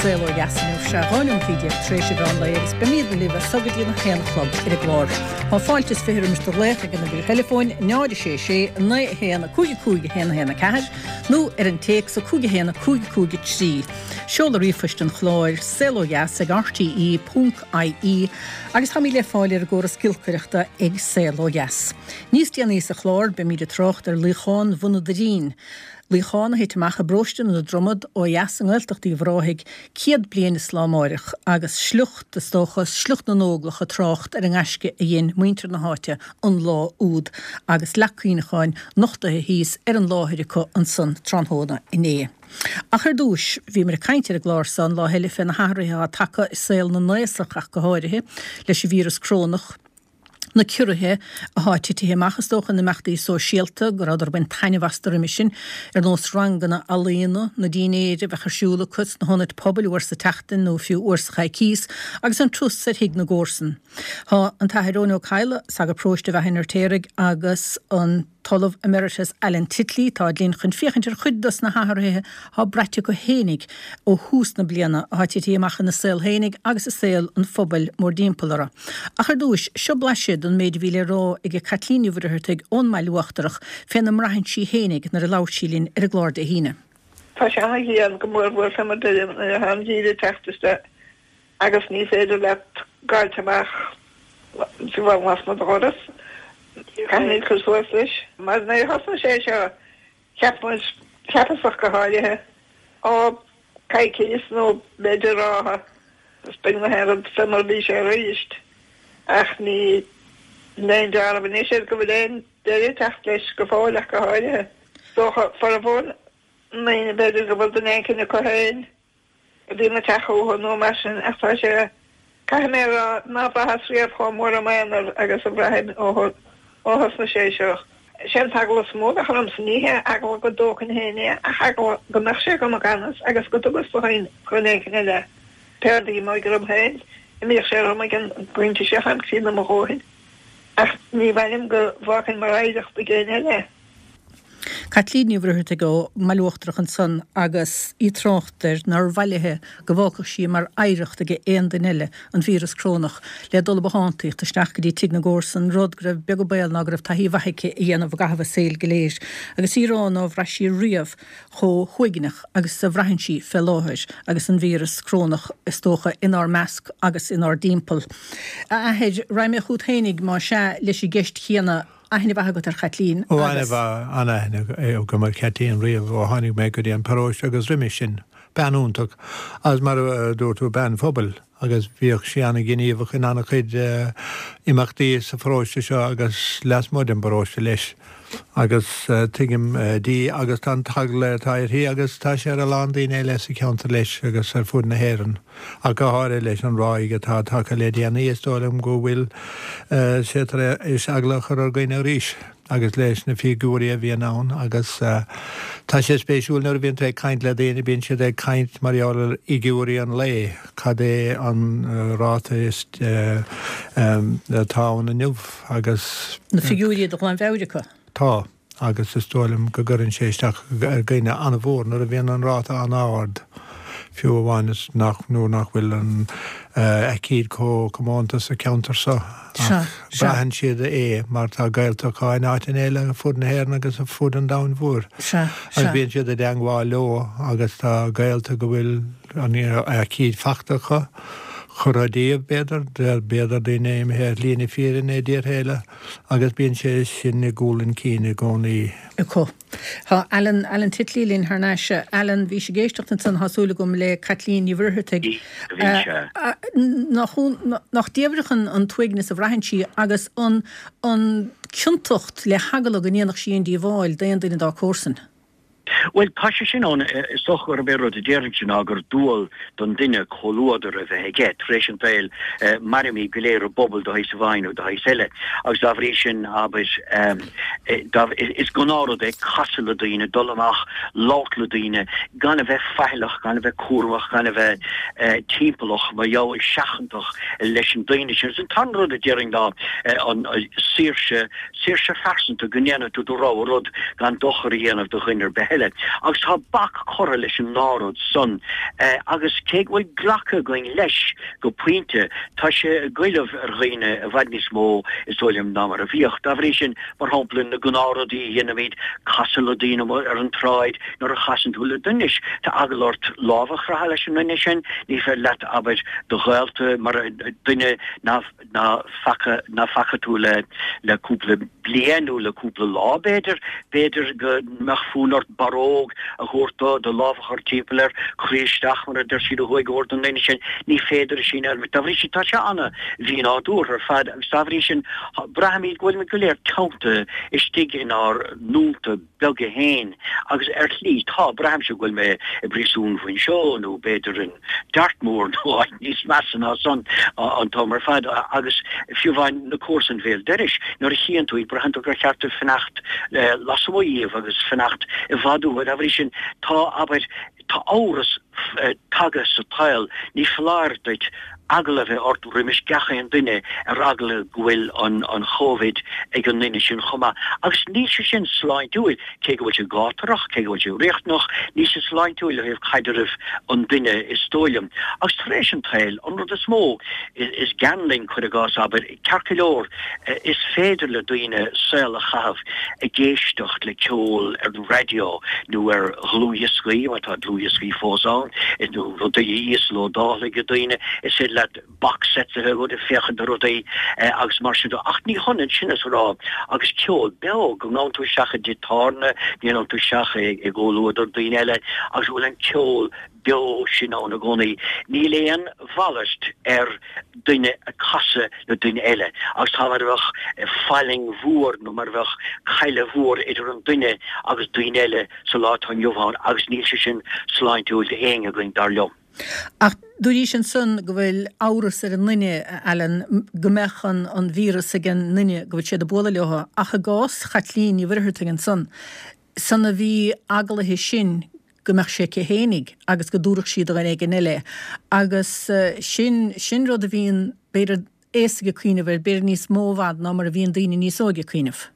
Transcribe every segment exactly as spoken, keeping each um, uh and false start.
Saol Ó Dheas inniu. Sé dhá nóiméad déag tar éis an mheán lae agus beimid libh as seo go dtí an haon a chlog ar an gclár. Tá fáilte is fiche roimis do ghlaoch ag an uimhir theileafóin náid a sé sé naoi a haon cúig a cúig a haon a haon a ceathair nó ar an téacs a cúig a haon a cúig a cúig a trí. Seoladh ríomhphoist an chláir saol ó dheas ag R T E ponc I E agus táimid le fáil ar an gcóras giolcaireachta ag Saol Ó Dheas. Níos déanaí sa chlár beimid ag trácht ar luíochán Bhun an Doirín. Luíochán a thit amach i bparóiste na Dromad ó dheas i nGaeltacht Uíbh Ráthaigh céad bliain is lá amárach agus sliocht is dócha sliocht na nÓglach ag trácht ar an ngaisce a dhein muintir na háite an lá úd agus leac cuimhneacháin nochtaithe thíos ar an láthair acu ansan tráthnóna inné. Ach ar dtús bhí muid ag caint ar an gclár seo an lá eile fé na hathruithe atá tagtha i saol na n-aosach ach go háirithe leis an víreas crónach, na ciorruithe atá titithe amach is dócha na imeachtaí sóisialta go rabhadar ag baint taitneamh astu roimhe sin ar nós ranganna ealaíona na dinnéir a bheadh ar siúl acu sna hionaid pobail uair sa tseachtain nó fiú uair sa choicís agus an turas ar thigh na gcomharsan. Tá an tAthair Eoin Ó Cadhla, sagart paróiste Bheatha an Fheirtéaraigh agus an tOllamh Emeritus Alan Titley tá linn chun féachaint ar chuid dos na hathruithe atá braite acu fhéinig ó thús na bliana atá titithe amach ina saol fhéinig agus i saol an phobail mórthimpeall orthu. Ach ar dtús seo blaiseadh den méid a bhí le rá ag Caitlín Ní Mhuircheartaigh ón mBaile Uachtarach féna mbraitheann sí fhéinig nuair a labhair sí linn ar an gclár Dé hAoine. Tá sé an-dhian go mór mór fé mar a an geimhreadh teacht isteach agus ní féidir leat gabháilt amach as mo dhoras. Caithfimid cur suas leis. Mar nuair a thosaigh sé seo cheap muid cheapas go háirithe ó coicís nó b'fhéidir ráithe is beidh na rud fé mar bhí sé arís ach ní aon dealramh anois ar go bhfuil aon deireadh teacht leis go fóill ach go háirithe. Dócha formhór na ndaoine b'fhéidir go bhfuil duine éicint acu féin daoine teach nó mar sin ach tá sé caithfidh mé rá ná bhraitheas riamh chomh mór i m'aonar agus a bhraithim ó ó thosnaigh sé seo. Sé an t-eagla is mó a bheadh ormsa ní hé eagla go dtógfainn féin é ach eagla go mbeadh sé agam i gan fhios agus go dtugas do dhuine éicint eile péardaí mo orm féin imíodh sé orm ag an bpointe seo am críonna mo dhóthain ach ní mhaith liom go bhfágfainn mar oidhreacht ag éinne eile. Caitlín Ní Mhuircheartaigh ón mBaile Uachtarach ansan agus í ag trácht ar nár mhaith léithe go bhfágfadh sí mar oidhreacht ag aon duine eile an víreas crónach le dul ag bothántaíocht isteach go dtí tigh na gcomharsan rud go raibh beag an baol ná go raibh taithí mhaith aici a dhéanamh i gcaitheamh a saoil go léir agus í ag rá nár bhraith sí riamh chomh huaigneach agus a bhraitheann sí fé láthair agus an víreas crónach is dócha inár measc agus inár dtimpeall. A Athair raghaidh mé chugat fhéinig má sea leis an gceist chéanna aithne mhaith agat ar Chaitlín. Ó an-aithne agam ar Chaitlín riamh ó tháinig mé go dtí an paróiste agus roimhe sin bean iontach agus mar a dúirt tú bean phobail agus bhíodh sí an-ghníomhach in an-chuid imeachtaí sa pharóiste seo agus lasmuigh den bparóiste leis. agus tuigim di agus tá an t-eagla atá uirthi agus tá sé ar a lán daoine eile sa cheantar leis agus ar fud na hÉireann ach go háirithe leis an ráig atá tagtha le déanaí is dóigh liom go bhfuil sé tar éis eagla a chur ar dhaoine arís agus leis na figiúirí a bhíonn ann agus tá sé spéisiúil nuair a bhíonn tú ag caint le daoine bíonn siad ag caint mar gheall ar fhigiúirí an lae cad é an ráta is atá ann inniu agus Na figiúirí de ghlanmheabhair acu. Tá agus is dóigh liom go gcuireann sé isteach ar dhaoine an-mhór nuair a bhíonn an ráta an-ard fiú amháin is nach nó nach bhfuil an aicíd chomh comónta sa cheantar seo braitheann siad é mar tá gaolta acu in áiteanna eile fud na hÉireann agus a fud an domhain mhóir. Agus bíonn siad i dteagmháil leo agus tá gaolta go bhfuil an aicíd fachta acu curtha díobh b'fhéidir b'fhéidir daoine imithe ar shlí na fírinne i dtíortha eile agus bíonn sé sin i gcúl an chinn i gcónaí. Acu. Tá Alan Alan Titley linn thar n-ais Alan bhí sé ag éisteacht ansan tá súil agam le Caitlín Ní Mhuircheartaigh nach diabhrach an an t-uaigneas a bhraitheann sí agus an an ciontacht le heagla go ndéanfadh sí an díobháil d'aon duine dá comharsain. Well tá sé sin ann is dócha gurb é rud a déarfainn ná gur dual don duine comhluadar a bheith aige tar éis an tsaoil mairimid go léir i bpobal de shaghas amháin nó de shaghas eile agus dá bhrí sin abair is gnáthrud é casadh le daoine dul amach labhairt le daoine gan a bheith faichilleach gan a bheith cúramach gan a bheith timpeallach mar gheall seachantach leis an daoine sin. An t-aon rud a déarfainn ná an saoirse saoirse phearsanta go ndéanfaidh tú do rogha rud gan dochar a dhéanamh do dhuine ar bith eile. Agus tá bac curtha leis an ndá rud san agus cé go bhfuil glactha againn leis go pointe, tá sé ag goilleamh ar dhaoine i bhfad níos mó is dóigh liom ná mar a bhíodh. Dá bhrí sin, mar shampla, na gnáthrudaí a dhéanaimid, casadh le daoine ar an tsráid, nuair a chasann tú le duine, tá eagla ort lámh a chroitheadh leis an nduine sin, ní féidir leat, abair, do ghaolta, mar duine ná ná faca ná faca tú le le cúpla bliain nó le cúpla lá b'fhéidir, b'fhéidir go mbeadh fonn ort barróg a thabhairt dó, do lámh a chur timpeall air, croí isteach mar a deir siad ó thuaidh a thabhairt don duine sin, ní féidir é sin a dhéanamh. Dá bhrí sin tá sé ana-mhínádúrtha ar fad agus dá bhrí sin braithimid go bhfuilimid go léir teannta istigh inár ndúnta beaga féin agus ar shlí tá, braithimse go bhfuil mé i bpríosún Mhuinseo nó b'fhéidir in Dartmoor nó áit níos measa ná san an t-am ar fad agus fiú amháin na comharsain bhéal dorais nuair a chíonn tú iad braitheann tú gur cheart duit fanacht lasmuigh dhíobh agus fanacht i bhfad uathu. Dá bhrí sin tá, abair, tá amhras tagtha sa tsaol, ní foláir duit eagla a bheith ort roimis gach aon duine ar eagla go bhfuil an an Chóivid ag an nduine sin chomh maith. Agus níl sé sin sláintiúil, cé go bhfuil sé gátarach, cé go bhfuil sé riachtanach, níl sé sláintiúil ó thaobh caidreamh an duine is dóigh liom. Agus tar éis an tsaoil, an rud is mó is gean linn, cuir i gcás, abair, ceart go leor, is féidir le daoine saol a chaitheamh ag éisteacht le ceol ar an raidió nó ar dhlúthdhioscaí, má tá dlúthdhioscaí fós ann, nó rudaí a íoslódáil ag daoine, is féidir leat box sets a bheith agat ag féachaint ar rudaí agus mar sin de. Ach ní hionann sin is a rá agus ceol beo, go ngabhann tú isteach i dtigh tábhairne, go ngabhann tú isteach i gcomhluadar daoine eile agus go bhfuil an ceol beo sin ann i gcónaí. Níl aon mhalairt ar duine ag casadh le duine eile agus tá mar a bheadh fallaing mhór nó mar a bheadh cailleadh mhór idir an duine agus daoine eile sa lá atá inniu ann agus níl sé sin sláintiúil d'éinne againn, dar liom. Ach dúraís ansan go bhfuil amhras ar an nduine, a Alan, go mbeadh an an víreas ag an nduine go bhfuil siad ag bualadh leo. Ach i gcás Chaitlín Ní Mhuircheartaigh ansan, san a bhí eagla uirthi sin go mbeadh sé aici fhéinig agus go dtabharfadh sí do dhuine éigin eile é. Agus sin, sin rud a bhíonn, b'fhéidir, aosaigh ag cuimhneamh air, b'fhéidir níos mó i bhfad ná mar a bhíonn daoine níos óige ag cuimhneamh.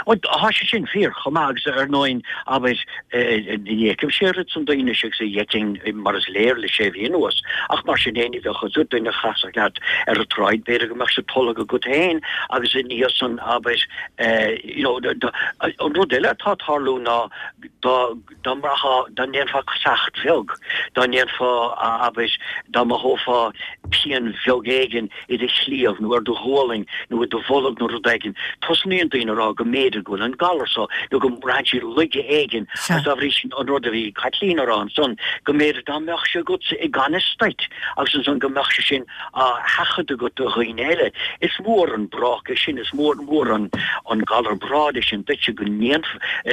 Bhuel, tá sé sin fíor chomh maith agus ar ndóigh, abair, ní fheicimse oiread san daoine agus a d'fheicfinn mar is léir le sé mhí anuas, ach mar sin fhéin, bheadh a fhios agat, duine a chasfadh leat ar an tsráid, b'fhéidir go mbeadh sé tolgtha agat féin agus i ndiaidh san, abair, you know, an rud eile atá ag tarlú ná dá dá mbraithfeá, dá ndéanfá casacht bheag, dá ndéanfá, abair, dá mothófá pian bheag éigin i do chliabh nó ar do ghualainn nó i do bholg nó rud éigin, tosnaíonn daoine a rá go mb'fhéidir go bhfuil an galar so nó go mbraitheann siad laige éigin agus dá bhrí sin an rud a bhí Caitlín a rá ansan, go mb'fhéidir dá mbeadh sé agatsa i gan fhios duit agus ansan go mbeadh sé sin á sheachadadh agat do dhaoine eile. Is mór an brác é sin, is mór mór an an galar brád é sin duitse go ndéanf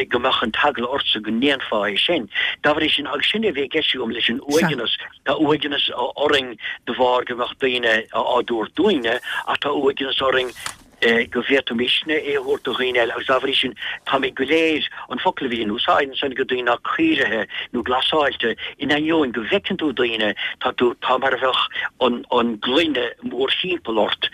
go mbeadh an t-eagla ortsa go ndéanfá é sin. Dá bhrí sin, agus sin é a bhí i gceist agam leis an uaigneas, tá uaigneas orainn de bharr go mbeadh daoine á dtabhairt dúinne ach tá uaigneas orainn go bhféadfaimisne é a thabhairt do dhaoine eile agus dá bhrí sin táimid go léir, an focal a bhí in úsáid ansan ag daoine ná caoirithe nó glasáilte, in ainneoin go bhfeiceann tú daoine, tá tú, tá mar a bheadh an, an gloine mórthimpeall ort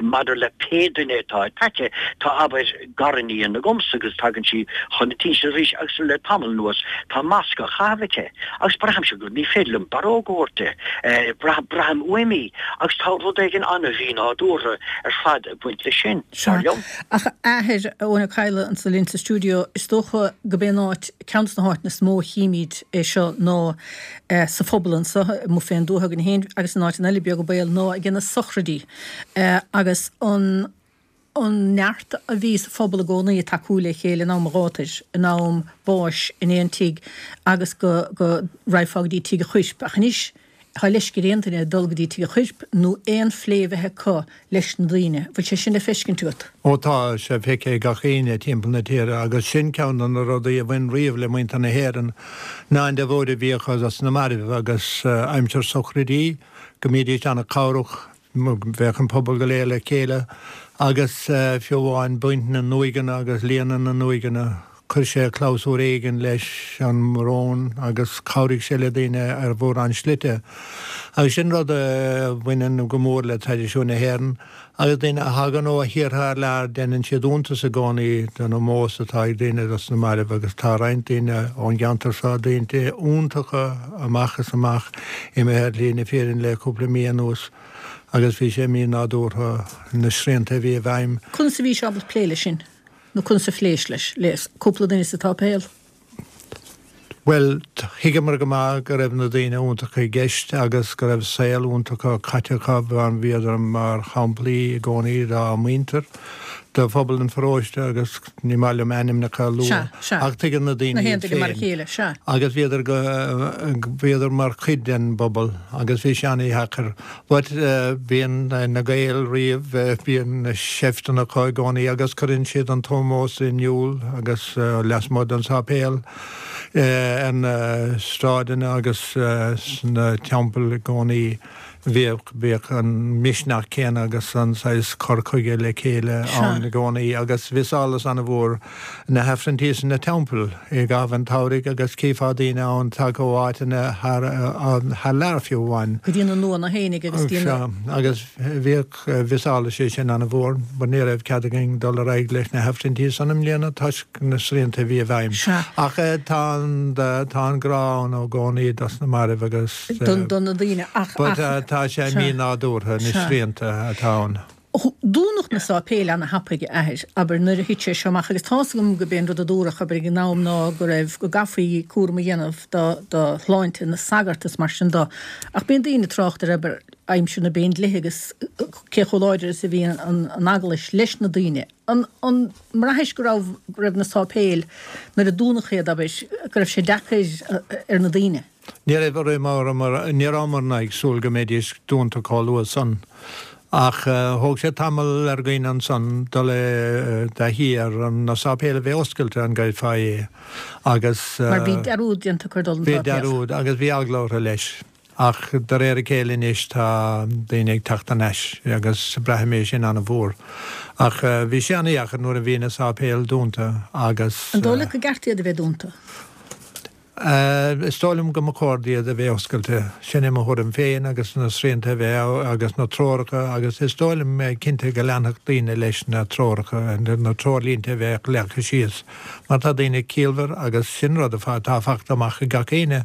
maidir le pé duine atá i t'aice, tá abair gariníon agamsa agus tagann sí chun an tí arís agus le tamall anuas tá masc á chaitheamh aici agus braithimse go, ní féidir liom barróg a thabhairt di, braithim uaim í agus tá rud éigin an-mhínádúrtha ar fad ag baint leis sin, dar liom. Ach a Athair, Eoin Ó Cadhla anso linn sa stiúideo, is dócha go b'é an áit, ceann de na háiteanna is mó a chímid é seo ná sa phobal anso, amuigh fén dtuath againn féin agus in áiteanna eile beag an baol, ná ag na sochraidí agus an an neart a bhí sa phobal i gcónaí ag tacú le chéile in am an ghátair, in am báis, in aon tigh agus go go raghfá go dtí tigh an choirp. Ach anois tá leisce ar aon duine dul go dtí tigh an choirp nó aon phlé a bheith acu leis na daoine. Bhfuil sé sin le feiscint agat? Ó tá sé feicthe ag gach éinne timpeall na tíre agus sin ceann de na rudaí a bhain riamh le muintir na hÉireann ná an deabhóid a bhíodh dos na mairbh agus aimsir sochraidí go mbídís an-chabhrach Bheadh an pobal go léir le chéile agus fiú amháin baint na n-uaigheanna agus líonadh na n-uaigheanna, Chuir sé clabhsúr éigin leis an mbrón agus chabhraigh sé le daoine ar mhórán slite. Agus sin rud a bhaineann go mór le traidisiún na hÉireann. Agus daoine a thagann ó thíortha thar lear, déanann siad iontas i gcónaí den ómós atá ag daoine dos na mairbh agus tá roinnt daoine ón gceantar seo, daoine iontacha amach is amach, imithe ar shlí na fírinne le cúpla mí anuas agus bhí sé mí-nádúrtha na srianta a bhí i bhfeidhm. Conas a bhís ábalta plé leis sin? Nó conas a phléis leis, le cúpla duine sa tsáipéal? Bhuel, thuigeamar go maith go raibh na daoine iontacha i gceist agus go raibh saol iontach caite acu, bhíodar mar shamplaí i gcónaí dá muintir, do phobal an pharóiste agus ní maith liom ainmneacha a lua ach tuigeann na daoine iad féin. Agus bhíodar go, bhíodar mar chuid den bpobal agus bhí sé an-dheacair. But bíonn na Gaeil riamh, bíonn seifteanna acu i gcónaí agus cuireann siad an t-ómós in iúl agus lasmuigh den sáipéal, ar na sráideanna agus sna teampaill i gcónaí. Bhíodh, bhíodh an misneach céanna agus an saghas cur chuige le chéile ann i gcónaí agus bhí solas an-mhór na hAifrinntí sna teampaill i gcaitheamh an tsamhraidh agus chífeá daoine ann tagtha ó áiteanna thar, thar lear fiú amháin. Go dtí na luanna fhéinig agus dtí na. Sea, agus bhíodh, mhiseáladh sé sin an-mhór but ní raibh cead againn dul ar aghaidh leis na hAifrinntí san i mbliana toisc na srianta a bhí i bhfeidhm. Sea. Ach tá an, tá an grá ann i gcónaí dos na mairbh agus. Do, do na daoine ach, But ach. tá sé mí-nádúrtha, na srianta atá ann. Dúnadh na sáipéil ana-thapaidh, a Athair, abair, nuair a thit sé seo amach agus tá's agam go b'é an rud a dúradh, abair, ag an am ná go raibh, go gcaithfí cúram a dhéanamh do, do shláinte na sagart is mar sin do. Ach bíonn daoine ag trácht ar, abair, aimsir na bPéindlíthe agus cé chomh láidir is a bhí an, an Eaglais leis na daoine. An, an mbraithis go raibh, go raibh na sáipéil, nuair a dúnadh iad, abair, go raibh sé deacair ar na daoine? Ní raibh, ní rabhamarna ag súil go mbeidís dúnta chomh luath san. Ach thóg sé tamall ar dhaoine ansan dul i dtaithí ar na sáipéil a bheith oscailte, an gcreidfeá é, agus. Mar bhí dearúd déanta acu ar dhul 'on Bhí tsáipéal. dearúd agus bhí eagla orthu leis. Ach de réir a chéile anois tá daoine ag teacht thar n-ais agus braithim é sin an-mhór. Ach bhí sé an-dheacair nuair a bhí na sáipéil dúnta agus. An dóigh leat go gceart iad a bheith dúnta? Is dóigh liom go mba chóir iad a bheith oscailte. Sin é mo thuairim féin agus na srianta a bheith agus na treoracha agus is dóigh liom cinnte go leanfadh daoine leis na treoracha, na treoirlínte a bheadh leagtha síos mar tá daoine ciallmhar agus sin rud atá fachta amach ag gach éinne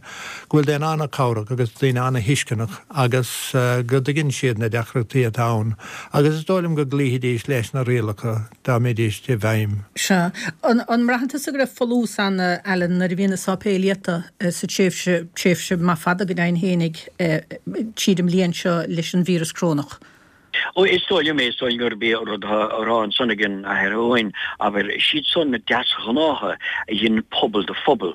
go bhfuil daoine an-chabhrach agus daoine an-thuisceanach agus go dtuigeann siad na deacrachtaí atá ann agus is dóigh liom go gcloífidís leis na rialacha dá mbeidís i bhfeidhm. Sea. An mbraitheann tusa go raibh folús ann, a Alan, nuair a bhí na sáipéil iata sa tréimhse, tréimhse maith fada go deimhin fhéinig, tríd an mbliain seo leis an víreas corónach? Ó, is dóigh liom é, is dóigh liom gurb é an rud atá á rá ansan ag an Athair Eoin, abair, siad san na deasghnátha a dhein pobal de phobal,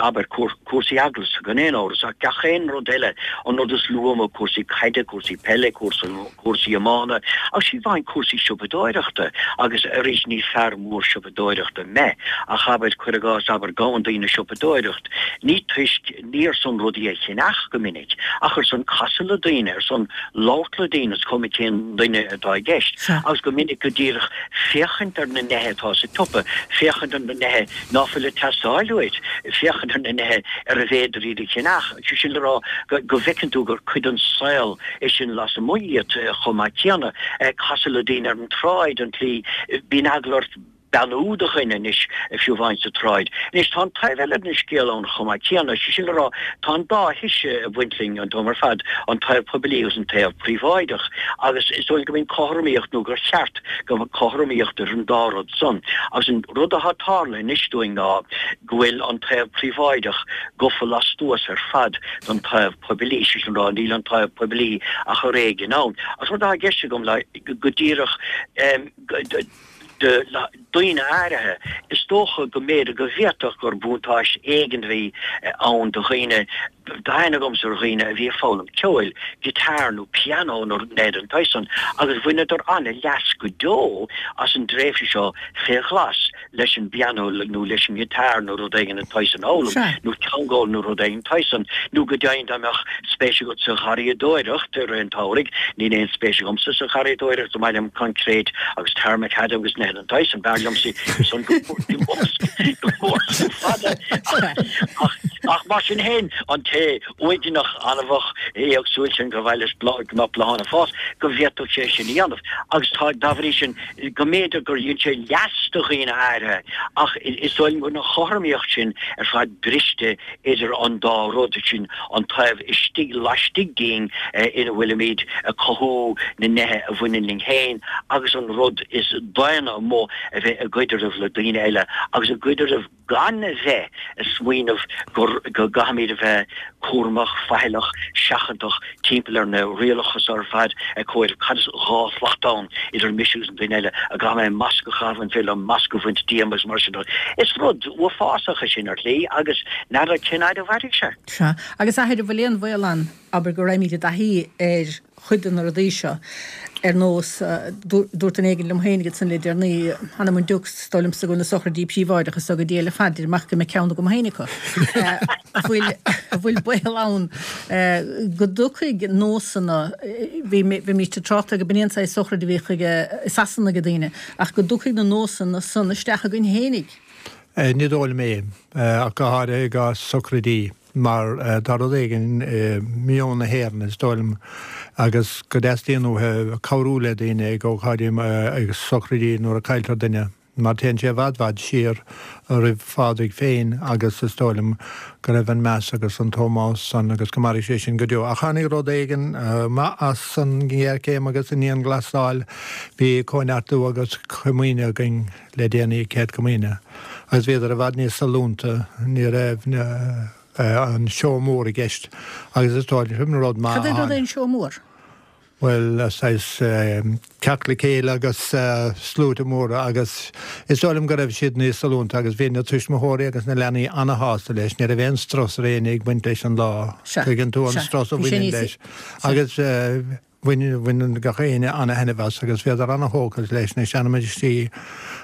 abair, cúrsaí eaglasta gan aon amhras, ach gach aon rud eile, an rud is lú amuigh, cúrsaí caide, cúrsaí peile, cúrsaí. cúrsaí iomána, agus fiú amháin cúrsaí siopadóireachta, agus arís ní fear mór siopadóireachta mé, ach abair, cuir i gcás, abair, gabhann daoine siopadóireacht, ní toisc, ní ar son rudaí a cheannach go minic, ach ar son casadh le daoine, ar son labhairt le daoine, is cuma cén duine atá i gceist, agus go minic go díreach féachaint ar na neithe atá sa tsiopa, féachaint ar na neithe ná fuil ag teastáil uait, féachaint ar na neithe arbh fhéidir iad a cheannach, sé sin le rá go bhfeiceann tú gur cuid den saol é sin lasmuigh iad chomh maith céanna. Casadh le daoine ar an tsráid, an tslí, bíonn eagla ort beannú do dhuine anois, fiú amháin sa tsráid. Anois, tá an taobh eile den scéal ann chomh maith céanna, sé sin le rá, tá an dá thoise ag baint linn an t-am ar fad, an taobh poiblí agus an taobh príobháideach, agus is dóigh liom go mbíonn cothromaíocht, nó gur cheart go mbeadh cothromaíocht idir an dá rud san. Agus an rud atá tarlaithe anois dúinn ná go bhfuil an taobh príobháideach gafa lastuas ar fad den taobh poiblí, sé sin le rá, níl an taobh poiblí ach ar éigean ann. Agus rud atá i gceist agam le go díreach do dhaoine áirithe, is dócha go mb'fhéidir go bhféadfadh gur buntáiste éigin a bhí ann do dhaoine Tá aithne agamsa ar dhaoine a bhí ag foghlaim ceoil, guitar nó pianó nó rud den tsaghas san, agus bhaineadar an-leas go deo as an dtréimhse seo fé ghlas leis an bpianó nó leis an ngiotár nó rud éigin den tsaghas san a fhoghlaim, nó teanga a fhoghlaim nó rud éigin den tsaghas san, nó go deimhin dá mbeadh spéis agat sa gharraíodóireacht i rith an tsamhraidh, níl aon spéis agamsa sa gharraíodóireacht, is maith liom coincréit agus tarmacadam agus nithe den tsaghas san, b'fhearr liomsa san go mór san fada ach ach mar sin féin an té uaigneach anamhach éagsúil sin gur mhaith leis go mbeadh bláthanna ag fás, go bhféadfadh sé sin a dhéanamh agus tá dá bhrí sin go mb'fhéidir gur dhein sé leas do dhaoine áirithe ach is dóigh liom go bhfuil an chothromaíocht sin ar fad briste idir an dá rud, sin an taobh istigh laistigh dínn ina bhfuilimid ag cothú na nithe a bhaineann linn féin agus an rud is daonna amuigh a bheith i gcaidreamh le daoine eile agus i gcaidreamh gan a bheith ag smaoineamh gur go gcaithfimid a bheith cúramach, faichilleach, seachantach timpeall ar na rialacha seo ar fad, ag comhaireamh cad is dhá shlat ann idir mise agus an duine eile, an gcaithfidh mé masc a chaitheamh, an féidir liom masc a bhaint díom agus mar sin de. Is rud uafásach é sin ar shlí agus n'fheadar cén fhaid a mhairfidh sé. Sea. Agus a Athair, an bhfuil aon bhaol ann, abair, go raghaimid i dtaithí ar chuid de na rudaí seo, ar nós, dúirt duine éigin liom féin ansan le deireanaí, th'anam 'on diúc, is dóigh liomsa go bhfuil na sochraidí príobháideach is go diail ar fad, deirim ach go mbeidh ceann agam féin acu. An bhfuil, an bhfuil baol ann go dtiocfaidh nósanna, bhí, bhímid ag trácht air go b'in é an saghas sochraid a bhíodh ag, i Sasana ag daoine, ach go dtiocfaidh na nósanna san isteach againn fhéinig. Ní dóigh liom é, ach go háirithe i gcás socraidí. Mar tá rud éigin i meon na hÉireann, is dóigh liom, agus go dteastaíonn uathu cabhrú le daoine ag ócáidí, ag sochraidí nuair a cailltear duine, mar téann sé i bhfad bhfad siar roimh Phádraig féin agus is dóigh liom go raibh an meas agus an t-ómós san agus go mairfidh sé sin go deo. Ach tháinig rud éigin maith as an ngéarchéim agus an dianghlasáil, bhí cóineartú agus comaoine againn le déanaí, Céad Comaoine. Agus bhíodar i bhfad níos sollúnta, ní raibh an seó mór i gceist agus is dóigh liom sin rud maith Cad é rud é an seó mór? Bhuel, saghas teacht le chéile agus sluaite móra agus is dóigh liom go raibh siad níos sollúnta agus bhí na tuismitheoirí agus na leanaí ana-shásta leis, ní raibh aon strus ar éinne ag baint leis an lá, Sea, tuigeann tú an sea, strus a bhí sé bhaineann níos, leis sea. agus Bhain, bhain gach éinne ana-thaitneamh as agus bhíodar ana-thógtha leis na seanamhaistí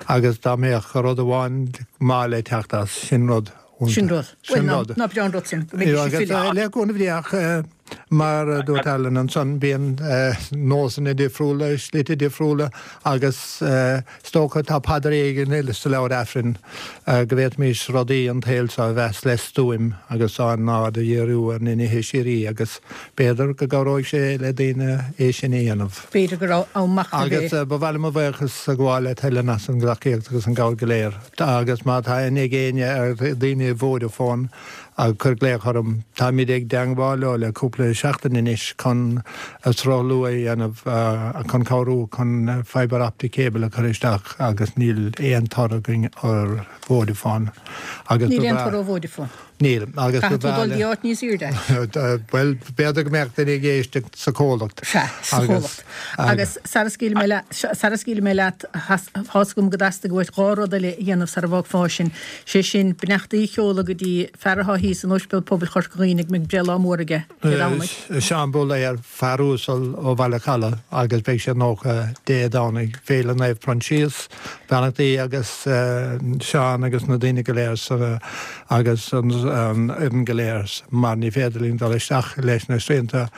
agus dá mbeadh rud amháin maith le teacht as, sin rud iontach. Sin rud. Bhuel, Sin ná, rud. ná breá an rud sin, go mbeidís ag Agus filleadh. le cúnamh Dé ach mar a dúirt Alan ansan, bíonn nósanna difriúla, slite difriúla agus is dócha tá paidir éigin sa leabhar Aifrinn go bhféadfaimis rudaí an tsaoil seo a mheas le stuaim agus ár n-aird a dhíriú ar na nithe síoraí agus b'fhéidir go gcabhróidh sé le daoine é sin a dhéanamh. B'fhéidir go raibh am machnaimh Agus é. ba mhaith liom mo bhuíochas a ghabháil le Helen as an dtacaíocht agus an gcabhair go léir. Agus má tá aithne ag éinne ar dhaoine i Vodafone, cuir glaoch orm. Táimid ag dteangmháil leo le cúpla seachtain anois chun sruthlú a dhéanamh chun cabhrú chun fibre optic cable a chur isteach agus níl aon toradh againn ar Vodafone agus Níl ba aon bhreá. toradh ó Vodafone. Níl, agus ba Caithfidh tú bhreá dul le. dtí áit níos airde. Bhuel, b'fhéidir go mbeadh duine ag éisteacht sa chomhlacht. Sea, sa Agus, chomhlacht. agus. Agus sara scaoilfidh mé leat, sara scaoilfidh mé leat, tá's agam go dteastaigh uait dhá rud eile a dhéanamh sara bhfágfá sinn, sé sin, beannachtaí a sheoladh go dtí fear atá thíos in Ospidéal Pobail Chorca Dhuibhne go mbeidh breithlá mór aige Dé Domhnaigh. Seán Búlaer, fear uasal ó Bhaile Chalaidh agus beidh sé nócha Dé Domhnaigh, Féile Naomh Proinsias, beannachtaí agus Seán agus na daoine go léir sa agus an fhoireann go léir mar ní féidir linn dul isteach leis na srianta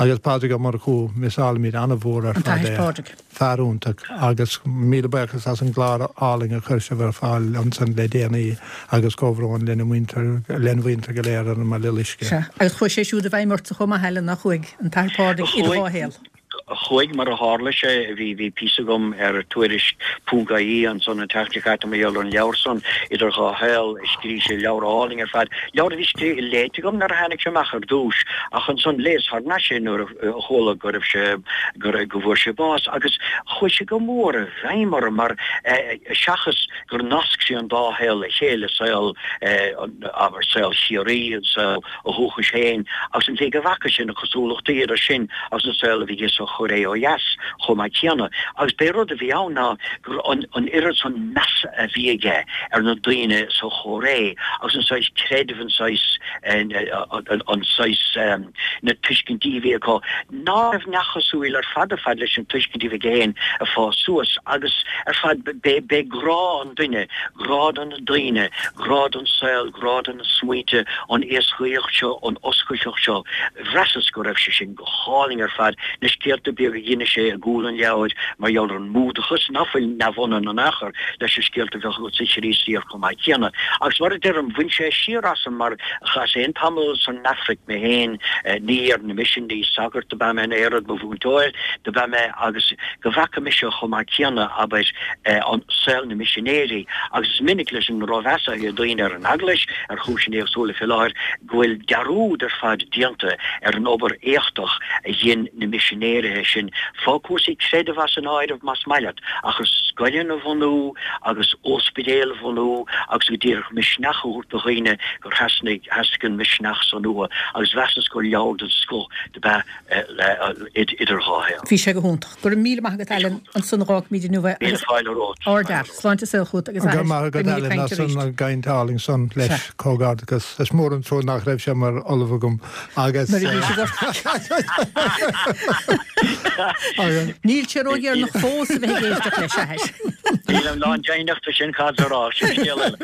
agus Pádraig Ó Murchú, miseálaimid an-mhór ar An fad tAthair é. Pádraig. Fear iontach agus míle buíochas as an gclár álainn a chuir sibh ar fáil ansan le déanaí agus comhbhrón lena mhuintir, lena mhuintir go léir ar an mBaile Loiscthe. Sea, agus chuaigh sé siúd i bhfeidhm ortsa chomh maith, Alan, nár chuaigh, an tAthair Pádraig, idir dhá Chuaigh. shaol. Chuaigh, mar a tharla sé, bhí, bhí píosa agam ar Tuairisc ponc ie ansan an tseachtain seo caite mar gheall ar an leabhar san, Idir Dhá Shaol, scrígh sé leabhar álainn ar fad, leabhar a bhí scrí, léite agam nuair a tháinig sé amach ar dtús, ach ansan léas thar n-ais é nuair a chuala go raibh sé, go raibh, go bhfuair sé bás agus chuaigh sé go mór i bhfeidhm orm mar eh, seachas gur nasc sé an dá shaol le chéile, saol eh, abair, saol Chiarraí, an saol a dhúchais féin agus an tslí go bhfaca sé na cosúlachtaí idir sin agus an saol a bhí aige sa Chóiré ó dheas chomh maith céanna. Agus b'é rud a bhí ann ná gur an an oiread san measa a bhí aige ar na daoine sa Chóiré agus an saghas creidimh, an saghas an saghas na tuiscintí a bhí acu ná raibh neamhchosúil ar fad ar fad leis an tuiscint a bhí aige féin ag fás suas agus ar fad b'é b'é grá an duine, grá do na daoine, grá don saol, grá do na smaointe, an éascaíocht seo, an oscailteacht seo, bhraitheas go raibh sé sin go hálainn ar fad, na scéalta beaga a d'inis sé i gcúl an leabhair mar gheall ar an mBúdachas, ná fuil neamhionann in aon chor leis na scéalta a bheadh agat sa Chríostaíocht chomh maith céanna. Agus mar a deirim, bhain sé siar asam mar chaitheas féin tamall san Afraic mé féin, ní ar na misin, ní sagart ab ea mé in aon rud, ba mhúinteoir do b'ea mé agus go bhfaca mise chomh maith céanna, abair, an saol na misinéirí agus is minic leis an rómheas atá ag daoine ar an Eaglais, ar chúiseanna éagsúla fé láthair, go bhfuil dearúd ar fad déanta ar an obair éachtach a dhein na misinéirithe sin, fág cúrsaí creidimh as an áireamh más maith leat, ach scoileanna a bhunú agus óspidéil a bhunú agus go díreach misneach a thabhairt do dhaoine gur theastaigh theastaigh an misneach san uathu agus mheasas gur leabhar den scoth do b'ea Idir Dhá Shaol. Bhí sé go hiontach. Go raibh míle maith agat Alan, ansan a dh'fhágfaimid inniu é Míle agus fáilte romhat. Ardfhear. Sláinte is saol chugat agus Go athair. maith agat Beimid ag Alan caint as arís. an gcaint álainn san Sea. leis comhghairdeachas. Is mór an trua nach raibh sé mar ollamh agam agus Nuair a bhí sé agus Níl sé ródheireanach fós a bheith ag éisteacht leis, a athair. Nílim lándeimhneach de sin cad a rá, sin scéal eile.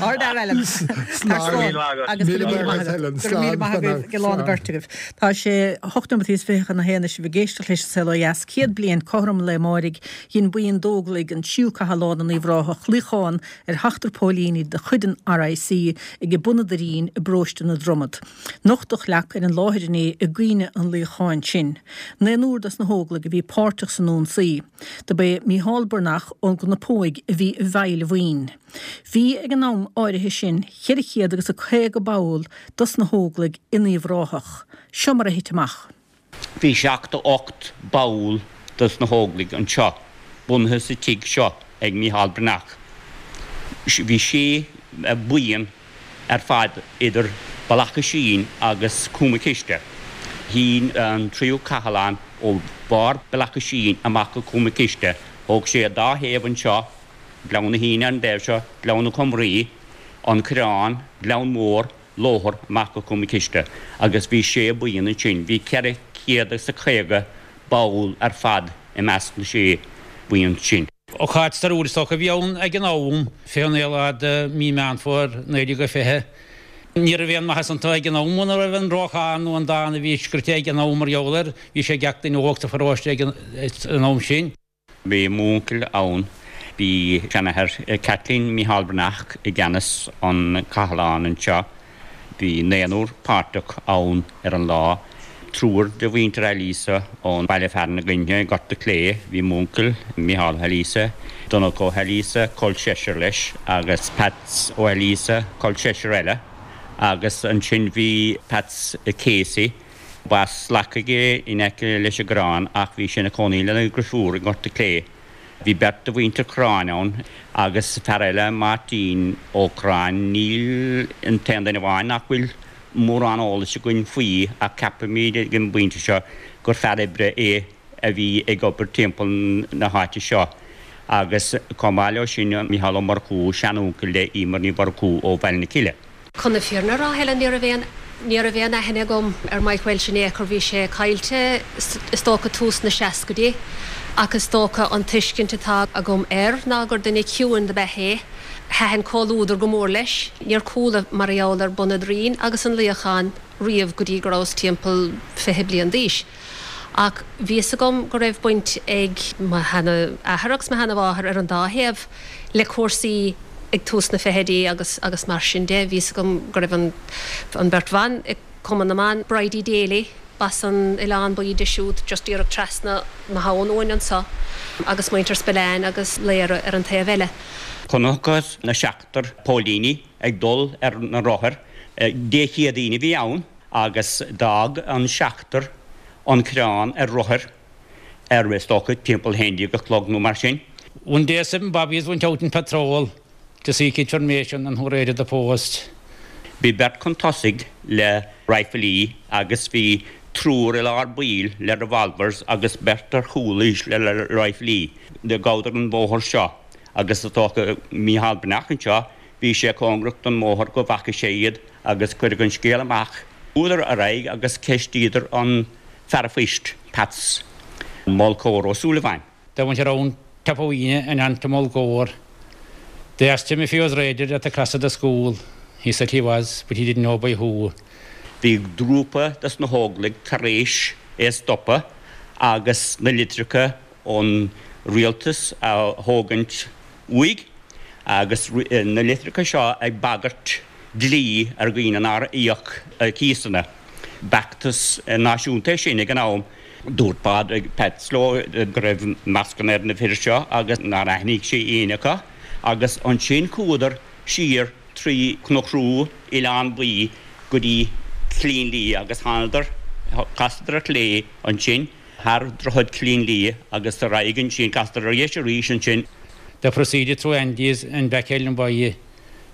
Ardfhear Alan. Slán. Slán. Míle maith agat. Agus go Míle raibh míle maith maith agat agat. Helen. Go raibh míle Slán. maith agaibh go lá na beirt agaibh. Tá sé hocht nóiméad is fiche chun a haon is sibh ag éisteacht leis an Saol Ó Dheas céad bliain cothrom an lae amáirigh dhein buíon d'Óglaigh an tríú cath lá na nUíbh Ráthach luíochán ar sheachtar póilíní de chuid an RIC ag bun an Doirín i bparóiste na Dromad. Nochtadh leac ar an láthair inné i gcuimhne an luíocháin sin. Naonúr dos na hóglaigh a bhí páirteach san ionsaí. Dob é Mícheál Breathnach ón gCnapóig a bhí i bhfeighil an bhuíon. Bhí ag an am áirithe sin ceithre chéad agus a caoga ball dos na hóglaigh in Uíbh Ráthach. Seo mar a thit amach. Bhí seachtó ocht ball dos na hÓglaigh anseo, bunaithe sa tigh seo ag Mícheál Breathnach. Bhí sé buíon ar fad idir Bealach Oisín agus Cúm an Chiste. Shín an tríú cathlán ó bharr Bealach Oisín amach go Cúm an Chiste. Thóg sé an dá thaobh anseo, Gleann na hAoine ar an dtaobh seo, Gleann na Cumraí, An Coireán, Gleann Mór, Lóthar amach go Cúm an Chiste agus bhí sé buíon ansin. Bhí ceithre chéad agus a caoga ball ar fad i measc na sé buíon sin. Ócáid stairiúil is dócha a bhí ann ag an am, fiche naoi lá de mí Meán Fómhair naoi déag a fiche. Ní raibh aon mhaitheas iontu ag an am muna raibh an rocán nó an dán a bhí scrite ag an am mar gheall air, bhí sé ag gach duine óg sa pharóiste ag an am sin. Bhí m'uncail ann. Bhí seanathair Kathleen, Mícheál Breathnach, i gceannas an cathlán anseo. Bhí naonúr páirteach ann ar an lá. Triúr de mhuintir Ailíosa ón baile fearainn againne i nGort a' Chlé. Bhí m'uncail, Mícheál Ó hAilíosa, Donncha Ó hAilíosa, col seisear leis, agus Peats Ó hAilíosa, col seisear eile. Agus ansin bhí Peats Casey. B'as Leacaigh é in aice leis an gCorrán ach bhí sé ina chónaí lena dheirfiúr i nGort a' Chlé. Bhí beirt de mhuintir Chorráin ann agus fear eile, Máirtín Ó Corráin. Níl an t-aon duine amháin nach bhfuil mórán eolais againn faoi ach ceapaimid ag an bpointe seo gur fear oibre é a bhí ag obair timpeall na háite seo agus chomh maith leo sin Mícheál Ó Murchú, seanuncail le Emer Ní Mhurchú ó Bhaile na Cille. Chun na fírinne a rá, Helen, ní raibh aon, ní raibh aon aithne agam ar Mike Walsh in aon chor, bhí sé caillte is dócha tús na seascaidí ach is dócha an tuiscint atá agam air ná gur duine ciúin do b'ea é. Thaitin comhluadar go mór leis. Níor chuala mar gheall ar Bun an Doirín agus an luíochán riamh go dtí go rabhas timpeall fiche bliain d'aois. Ach bhí fhios agam go raibh baint ag mo sheanathair agus mo sheanamháthair ar an dá thaobh le cúrsaí ag tús na fichidí agus agus mar sin de. Bhí fhios agam go raibh an an bheirt bhan i Cumann na mBan, Bridie Daly, b'as an Oileán Buí di siúd, just díreach trasna na habhann uainn anso, agus muintir Spillane agus Laoire ar an taobh eile. Chonacthas na seachtar póilíní ag dul ar na rothair. Dé Céadaoin a bhí ann agus d'fhág an seachtar an Coireán ar rothair ar, is dócha, timpeall a haon déag a chlog nó mar sin. One day seven bobbies went out in patrol to seek information on who raided the post. Bhí beirt chun tosaigh le raidhfilí agus bhí Triúr i lár baill le revolvers agus beirt ar chúl le riflí. Do ghabhadar an bóthar seo agus is dócha Mícheál Breathnach anseo, bhí sé cóngarach don mbóthar go bhfaca sé iad agus cuireadh an scéal amach. Chuadar ar aghaidh agus cheistíodar an fear an phoist, Pats Molcóir Ó Súilleabháin. They went around Tapawina and on to Mulgore. They asked him if he was raided at the cross of the school. He said he was, but he didn't know by who. Bhí grúpa des na hÓglaigh tar éis é a stopadh agus na litreacha ón rialtas a thógaint uaidh agus na litreacha seo ag bagairt dlí ar dhaoine nár íoc cíosanna. B'fheachtas náisiúnta é sin ag an am. Dúirt Pádraig Peats leo go raibh mascanna ar na fir seo agus nár aithnigh sé éinne acu agus ansin chuadar siar trí Chnoc Rua, Oileán Buí go dtí Cillín Liath agus thánadar, chasadar ar chlé ansin thar Droichead Chillín Liath agus ar aghaidh ansin, chasadar ar dheis arís ansin. They proceeded through Andes and back Ellen Buí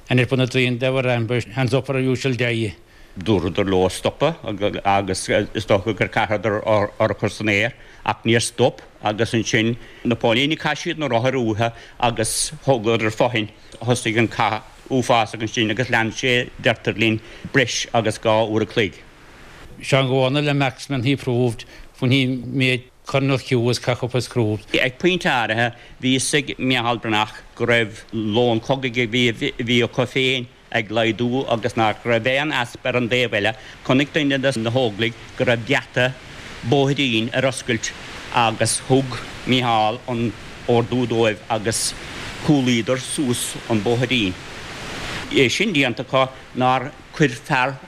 and at Bunadreen they were ambushed, hands up or you shall die. Dúradar leo stopadh agus is dócha gur chaitheadar urchar san aer ach níor stop agus ansin na póilíní chaith siad na rothair uathu agus thógadar fothain. Thosaigh an cath uafásach ansin agus lean sé, deirtear linn, breis agus dhá uair a chloig. Seán Dhomhnaill a marksman he proved when he made Colonel Hughes cock up his crew. Ag pointe áirithe bhí fhios ag Micheál Breathnach go raibh lón cogaidh a bhí acu féin ag laghdú agus nach raibh aon easpa ar an dtaobh eile. Chonaic duine de na hÓglaigh go raibh geata bóithrín ar oscailt agus thug Micheál an ordú dóibh agus chúlaíodar suas an bóithrín. É sin déanta acu nár chuir fear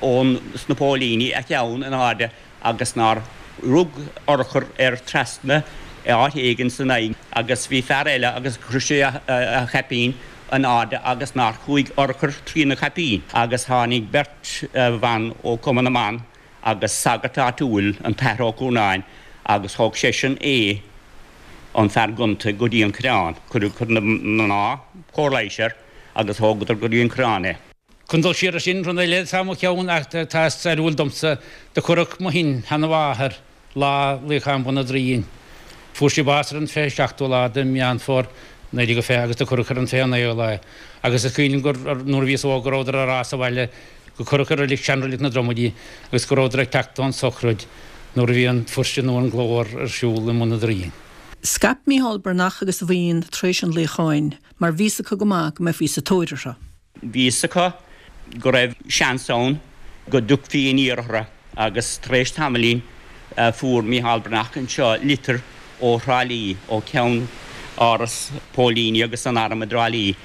ón sna póilíní a cheann in airde agus nár rug urchar air trasna áit éigin san aghaidh agus bhí fear eile agus chuir sé a chaipín in airde agus nár chuaigh urchar trína chaipín agus tháinig beirt bhan ó Chumann na mBan agus sagart áitiúil, an tAthair Ó Curnáin, agus thóg seisean é, an fear gonta, go dtí an Coireán. Chuir na mná cóir leighis air agus thógadar go dtí an Coireán é. Chun dul siar ansin, rud eile atá i mo cheann ach atá stairiúil domsa, do cuireadh mo shin-sheanamháthair lá luíocháin Bhun an Doirín. Fuair sí bás ar an fiche seachtú lá de Mheán Fómhair naoi déag fiche agus do cuireadh ar an fiche naoú lá é. Agus is cuimhin liom gur nuair a bhíos óg go rabhadar ag rá sa bhaile go cuireadh i reilig seanreilig na Droma í agus go rabhadar ag teacht ón sochraid nuair a bhí an fuirse nó an glór ar siúl i mBun an Doirín. Scaip Mícheál Breathnach agus a bhuíon tar éis an luíocháin mar bhí fhios acu go maith go mbeifí sa tóir orthu. Bhí fhios acu go raibh seans ann go dtiocfaí aniar orthu agus tar éis tamaillín fuair Mícheál Breathnach anseo litir ó Thrá Lí, ó cheann áras póilíní agus an airm i dTrá Lí,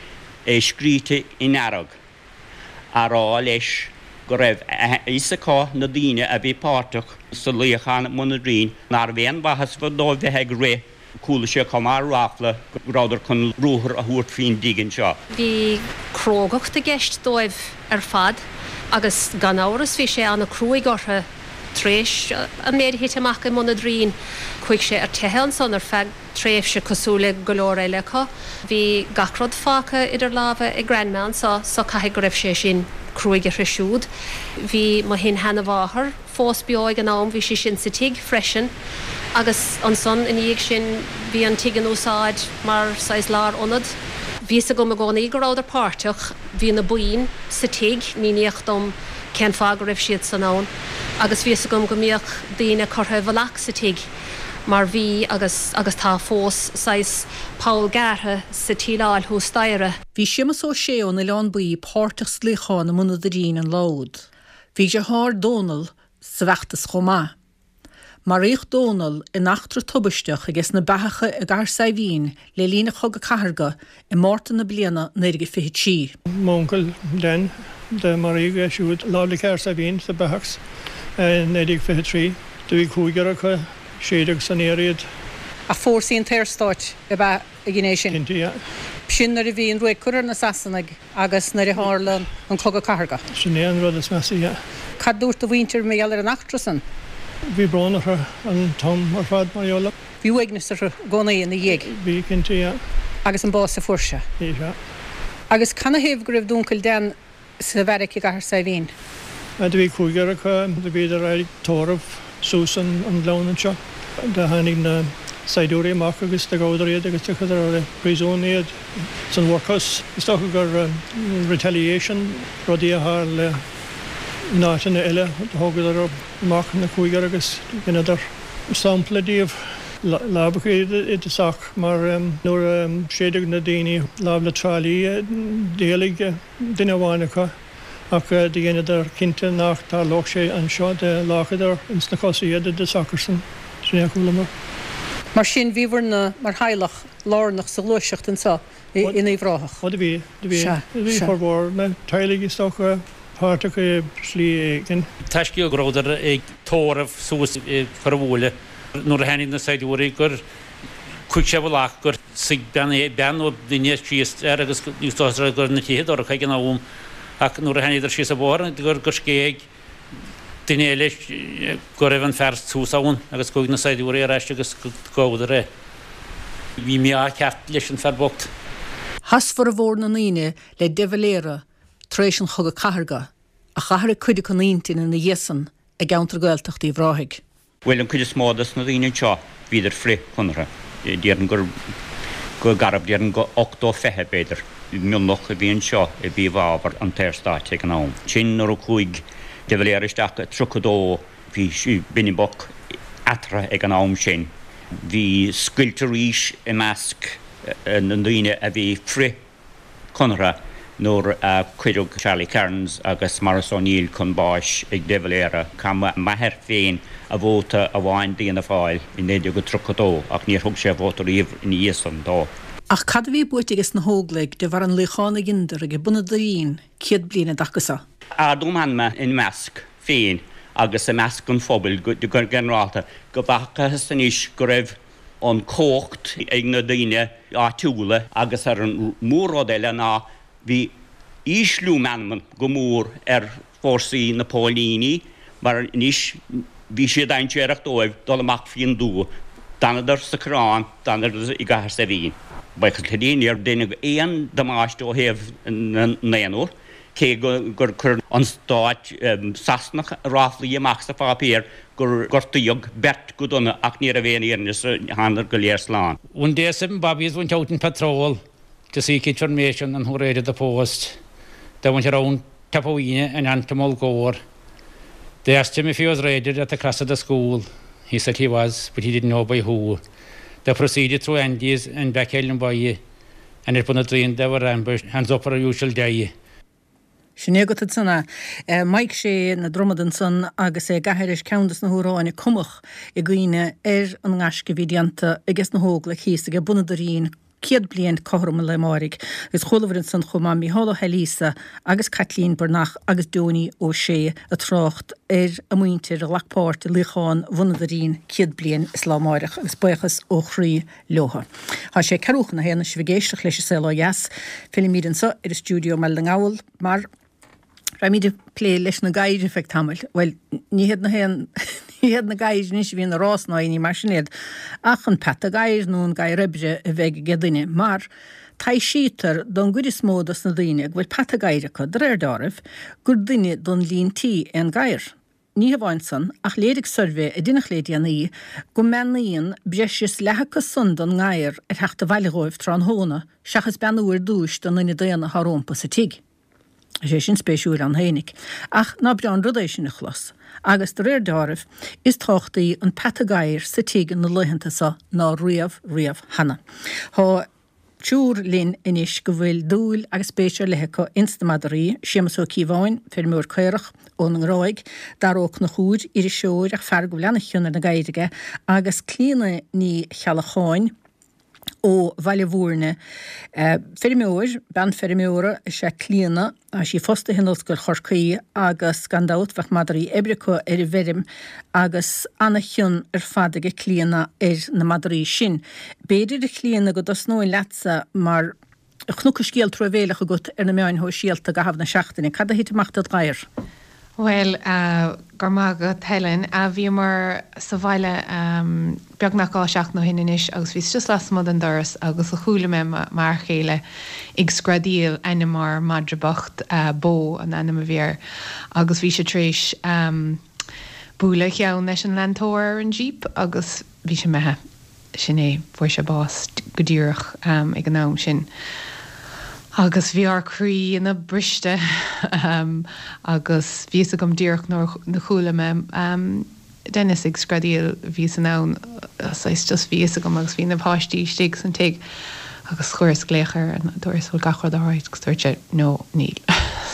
é scríte i ndearg, á rá leis go raibh a fhios acu na daoine a bhí páirteach sa luíochán i mBun an Doirín nárbh aon mhaitheas dóibh bheith ag rith, chuala sé chomh maith ráfla go rabhadar chun ruathar a thabhairt faoin dtigh anseo. Bhí crógacht i gceist dóibh ar fad agus gan amhras bhí sé an-cruaidh orthu tar éis an méid a thit amach i mBun an Doirín. Chuaigh sé ar teitheadh ansan ar feadh tréimhse cosúil le go leor eile acu. Bhí gach rud fágtha idir lámha ag Grandma anso so caithfidh go raibh sé sin cruaidh uirthi siúd. Bhí mo shin-sheanamháthair fós beo ag an am, bhí sí sin sa tigh freisin agus ansan ina dhiaidh sin bhí an tigh in úsáid mar saghas lárionad. Bhí fhios agam i gcónaí go rabhadar páirteach, bhí na boinn sa tigh, míníodh dom cén fáth go raibh siad san ann agus bhí fhios agam go mbíodh daoine curtha i bhfolach sa tigh mar bhí agus agus tá fós saghas poll gearrtha sa tsíleáil thuas staighre. Bhí Séamus Ó Sé ón Oileán Buí páirteach sa luíochán i mBun an Doirín an lá úd. Bhí a dheartháir Dónal sa bhfeachtas chomh maith. Maraíodh Dónal in eachtra tubaisteach aige sna beathacha i gCathair Saidhbhín le linn an Chogaidh Cathartha i Márta na bliana naoi déag fiche trí. M'uncail Dan, do maraíodh é siúd láimh le Cathair Saidhbhín sa Beathachs i naoi déag fiche trí. Do bhí cúigear acu, séideadh san aer iad. Ach fórsaí an tSaorstáit ab ea a dhein é sin. Cinnte, yeah. B'shin nuair a bhí an ruaig curtha ar na Sasanaigh agus nuair a tharla an Cogadh Cathartha. Sin é an rud is measa, yeah. Cad dúirt do mhuintir mar gheall ar an eachtra san? Bhí brón orthu an t-am ar fad mar gheall air. Bhí uaigneas orthu i gcónaí ina dhiaidh. Bhí, cinnte, yeah. Agus an bás a fuair sé. Bhí, sea. Agus canathaobh go raibh d'uncail Dan sa bheairic i gCathair Saidhbhín? Do bhí cúigear acu, do bhíodar ag tórramh suas an gleann anseo. Do tháinig na saighdiúirí amach agus do ghabhadar iad agus do chuireadar i bpríosún iad san workhouse. Is dócha gur retaliation rudaí a tharla in áiteanna eile. Do thógadar amach na cúigear agus dheineadar sampla díobh. Lámhachadh iad i dtosach mar nuair a séideadh na daoine láimh le Trá Lí d'éalaigh duine amháin acu. Ach do dheineadar cinnte nach dtarlódh sé anseo, do láchadar ins na cosa iad i dtosach arsan. Sin é a chualamar. Mar sin, bhíobhair-ne mar theaghlach lárnach sa ghluaiseacht anseo in Uíbh Ráthach. Ó do bhí, do bhí. Sea, Do bhí sea. formhór na teaghlaigh is dócha páirteach i slí éigin. Tá scéal go rabhadar ag tórramh suas i Corr an Bhuaile nuair a tháinig na saighdiúirí gur Chuaigh sé i bhfolach gur suigh bean bean nó duine síos air agus is dócha go raibh na tithe dorcha ag an am ach nuair a tháinigeadar síos an bóthar gur gur scéigh duine eile go raibh an fear suas ann agus chuaigh na saighdiúirí ar ais agus ghabhadar é. Bhí mí-ádh ceart leis an fear bocht. Chas formhór na ndaoine le de Valera tar éis an Chogadh Cathartha, ach athraigh cuid acu a n-intinn ina dhiaidh san i gceantar Gaeltachta Uíbh Ráthaigh. Bhuel, an cuid is mó dos na daoine anseo, bhíodar frith-Chonartha. Déarfainn gur go garbh, déarfainn go ochtó fiche, b'fhéidir, mionlach a bhí anseo a bhí i bhfabhar an tSaorstáit ag an am. Sin nuair a chuaigh de Valera isteach i tríocha dó, bhí binbeach eatarthu ag an am sin. Bhí scoilt arís i measc na ndaoine a bhí frith. Conartha nuair a cuireadh Charlie Kearns agus Maurice O'Neill chun báis ag de Valera. Chaith m'athair féin a vóta amháin d'Fhianna Fáil i naoi déag tríocha dó ach níor thug sé a vóta riamh ina dhiaidh san dó. Ach cad a bhí buaite ages na hÓglaigh de bharr an luíochán a dheineadar age bun an Doirín céad bliain i dtaca so? Ardú meanma ina measc féin agus i measc an phobail go ginearálta go bhfacthas anois go raibh an chumhacht ag na daoine áitiúla agus ar an mór-rud eile ná bhí ísliú meanman go mór ar fórsaí na póilíní mar anois bhí sé dainséarach dóibh dul amach faoin dtuath. D'fhanadar sa Choireán, d'fhanadar i gCathair Saidhbhín. Buíochas le Dia níor deineadh aon damáiste ó thaobh na naonúr, cé gur chuir an stát Sasanach ráflaí amach sa pháipéar gur gortaíodh beirt go dona ach ní raibh aon fhírinne ann, thánadar go léir slán. One day seven bobbies went out in patrol to seek information on who raided the post. They went around Tapawina and on to Mulgore. They asked him if he was raided at the cross of the school. He said he was, but he didn't know by who. They proceeded through Andes and back Ellenboy, and upon the train they were ambushed, hands up or you shall die. Sin é agat ansan é. Mike Shea na Dromad ansan agus é ag aithris ceann des na hamhráin a cumadh i gcuimhne ar an ngaisce a bhí déanta ages na hÓglaigh thíos age bun an Doirín céad bliain cothrom an lae amáirigh. Agus chualabhair ansan chomh maith Mícheál Ó hAilíosa agus Caitlín Breathnach agus Donie Ó Sé ag trácht ar a muintir a ghlac páirt i luíochán Bhun an Doirín céad bliain is lá amáireach agus buíochas ó chroí leotha. Tá sé ceathrú chun a haon sibh ag éisteacht leis an Saol Ó Dheas. Fillimid anseo ar an stiúideo i mBaile na nGall mar raibhimid ag plé leis na gadhair ar feadh tamaill. Bhuel, ní hiad na haon ní hiad na gadhair anois a bhíonn ag rás ná ní mar sin iad, ach an peata gadhair nó an gadhar oibre a bheidh ag duine, mar taibhsítear don gcuid is mó dos na daoine go bhfuil peata gadhair acu, de réir dealraimh, gur duine don líon tí é an gadhar. Ní hamháin san, ach léirigh suirbhé a deineadh le déanaí go mbeannaíonn breis is leath acu san don ngadhar ar theacht abhaile dhóibh tráthnóna seachas beannú ar dtúis don duine daonna atá rómpa sa tigh. Tá sé sin spéisiúil ann fhéinig. Ach ná breá an rud é sin a chlos. Agus de réir dealraimh, is tábhachtaí an peata gadhair sa tigh na laethanta so ná riamh riamh cheana. Tá triúr linn anois go bhfuil dúil agus spéis ar leith acu ins na madraí, Séamus Ó Cíobháin, feirmeoir caorach ón nGráig, Dara Ó Conchúir, iriseoir ach fear go bhfuil ana-chion ar na gadhair aige, agus Clíona Ní Cheallacháin, ó Bhaile Mhúirne. Feirmeoir, bean feirmeora is ea Clíona. Tá sí fostaithe in Ollscoil Chorcaí agus gan dabht bheadh madraí oibre acu ar an bhfeirm agus ana-chion ar fad aige Clíona ar na madraí sin. B'fhéidir a Chlíona go dtosnóinn leatsa mar chonac scéal truamhéileach agat ar na meáin shóisialta i gcaitheamh na seachtaine. Cad a thit amach dod' ghadhar? Bhuel, go raibh maith agat Helen. Bhíomar sa bhaile beagnach dhá sheachtain ó shin anois agus bhíos just lasmuigh den doras agus chuala mé m'fhear chéile ag screadaíl ainm ár madra bocht, Bó an ainm a bhí air, agus bhí sé tar éis bualadh a cheann leis an leantóir ar an Jeep agus bhí sé imithe. Sin é, fuair sé bás go díreach ag an am sin. Agus bhí ár croí ina briste agus bhí fhios agam díreach nuair a chuala mé Dennis ag screadaíl, bhíos in ann, saghas just bhí fhios agam agus bhí na páistí istigh san tigh agus chuireas glaoch air and dúirt bhfuil gach rud alright agus dúirt sé no, níl.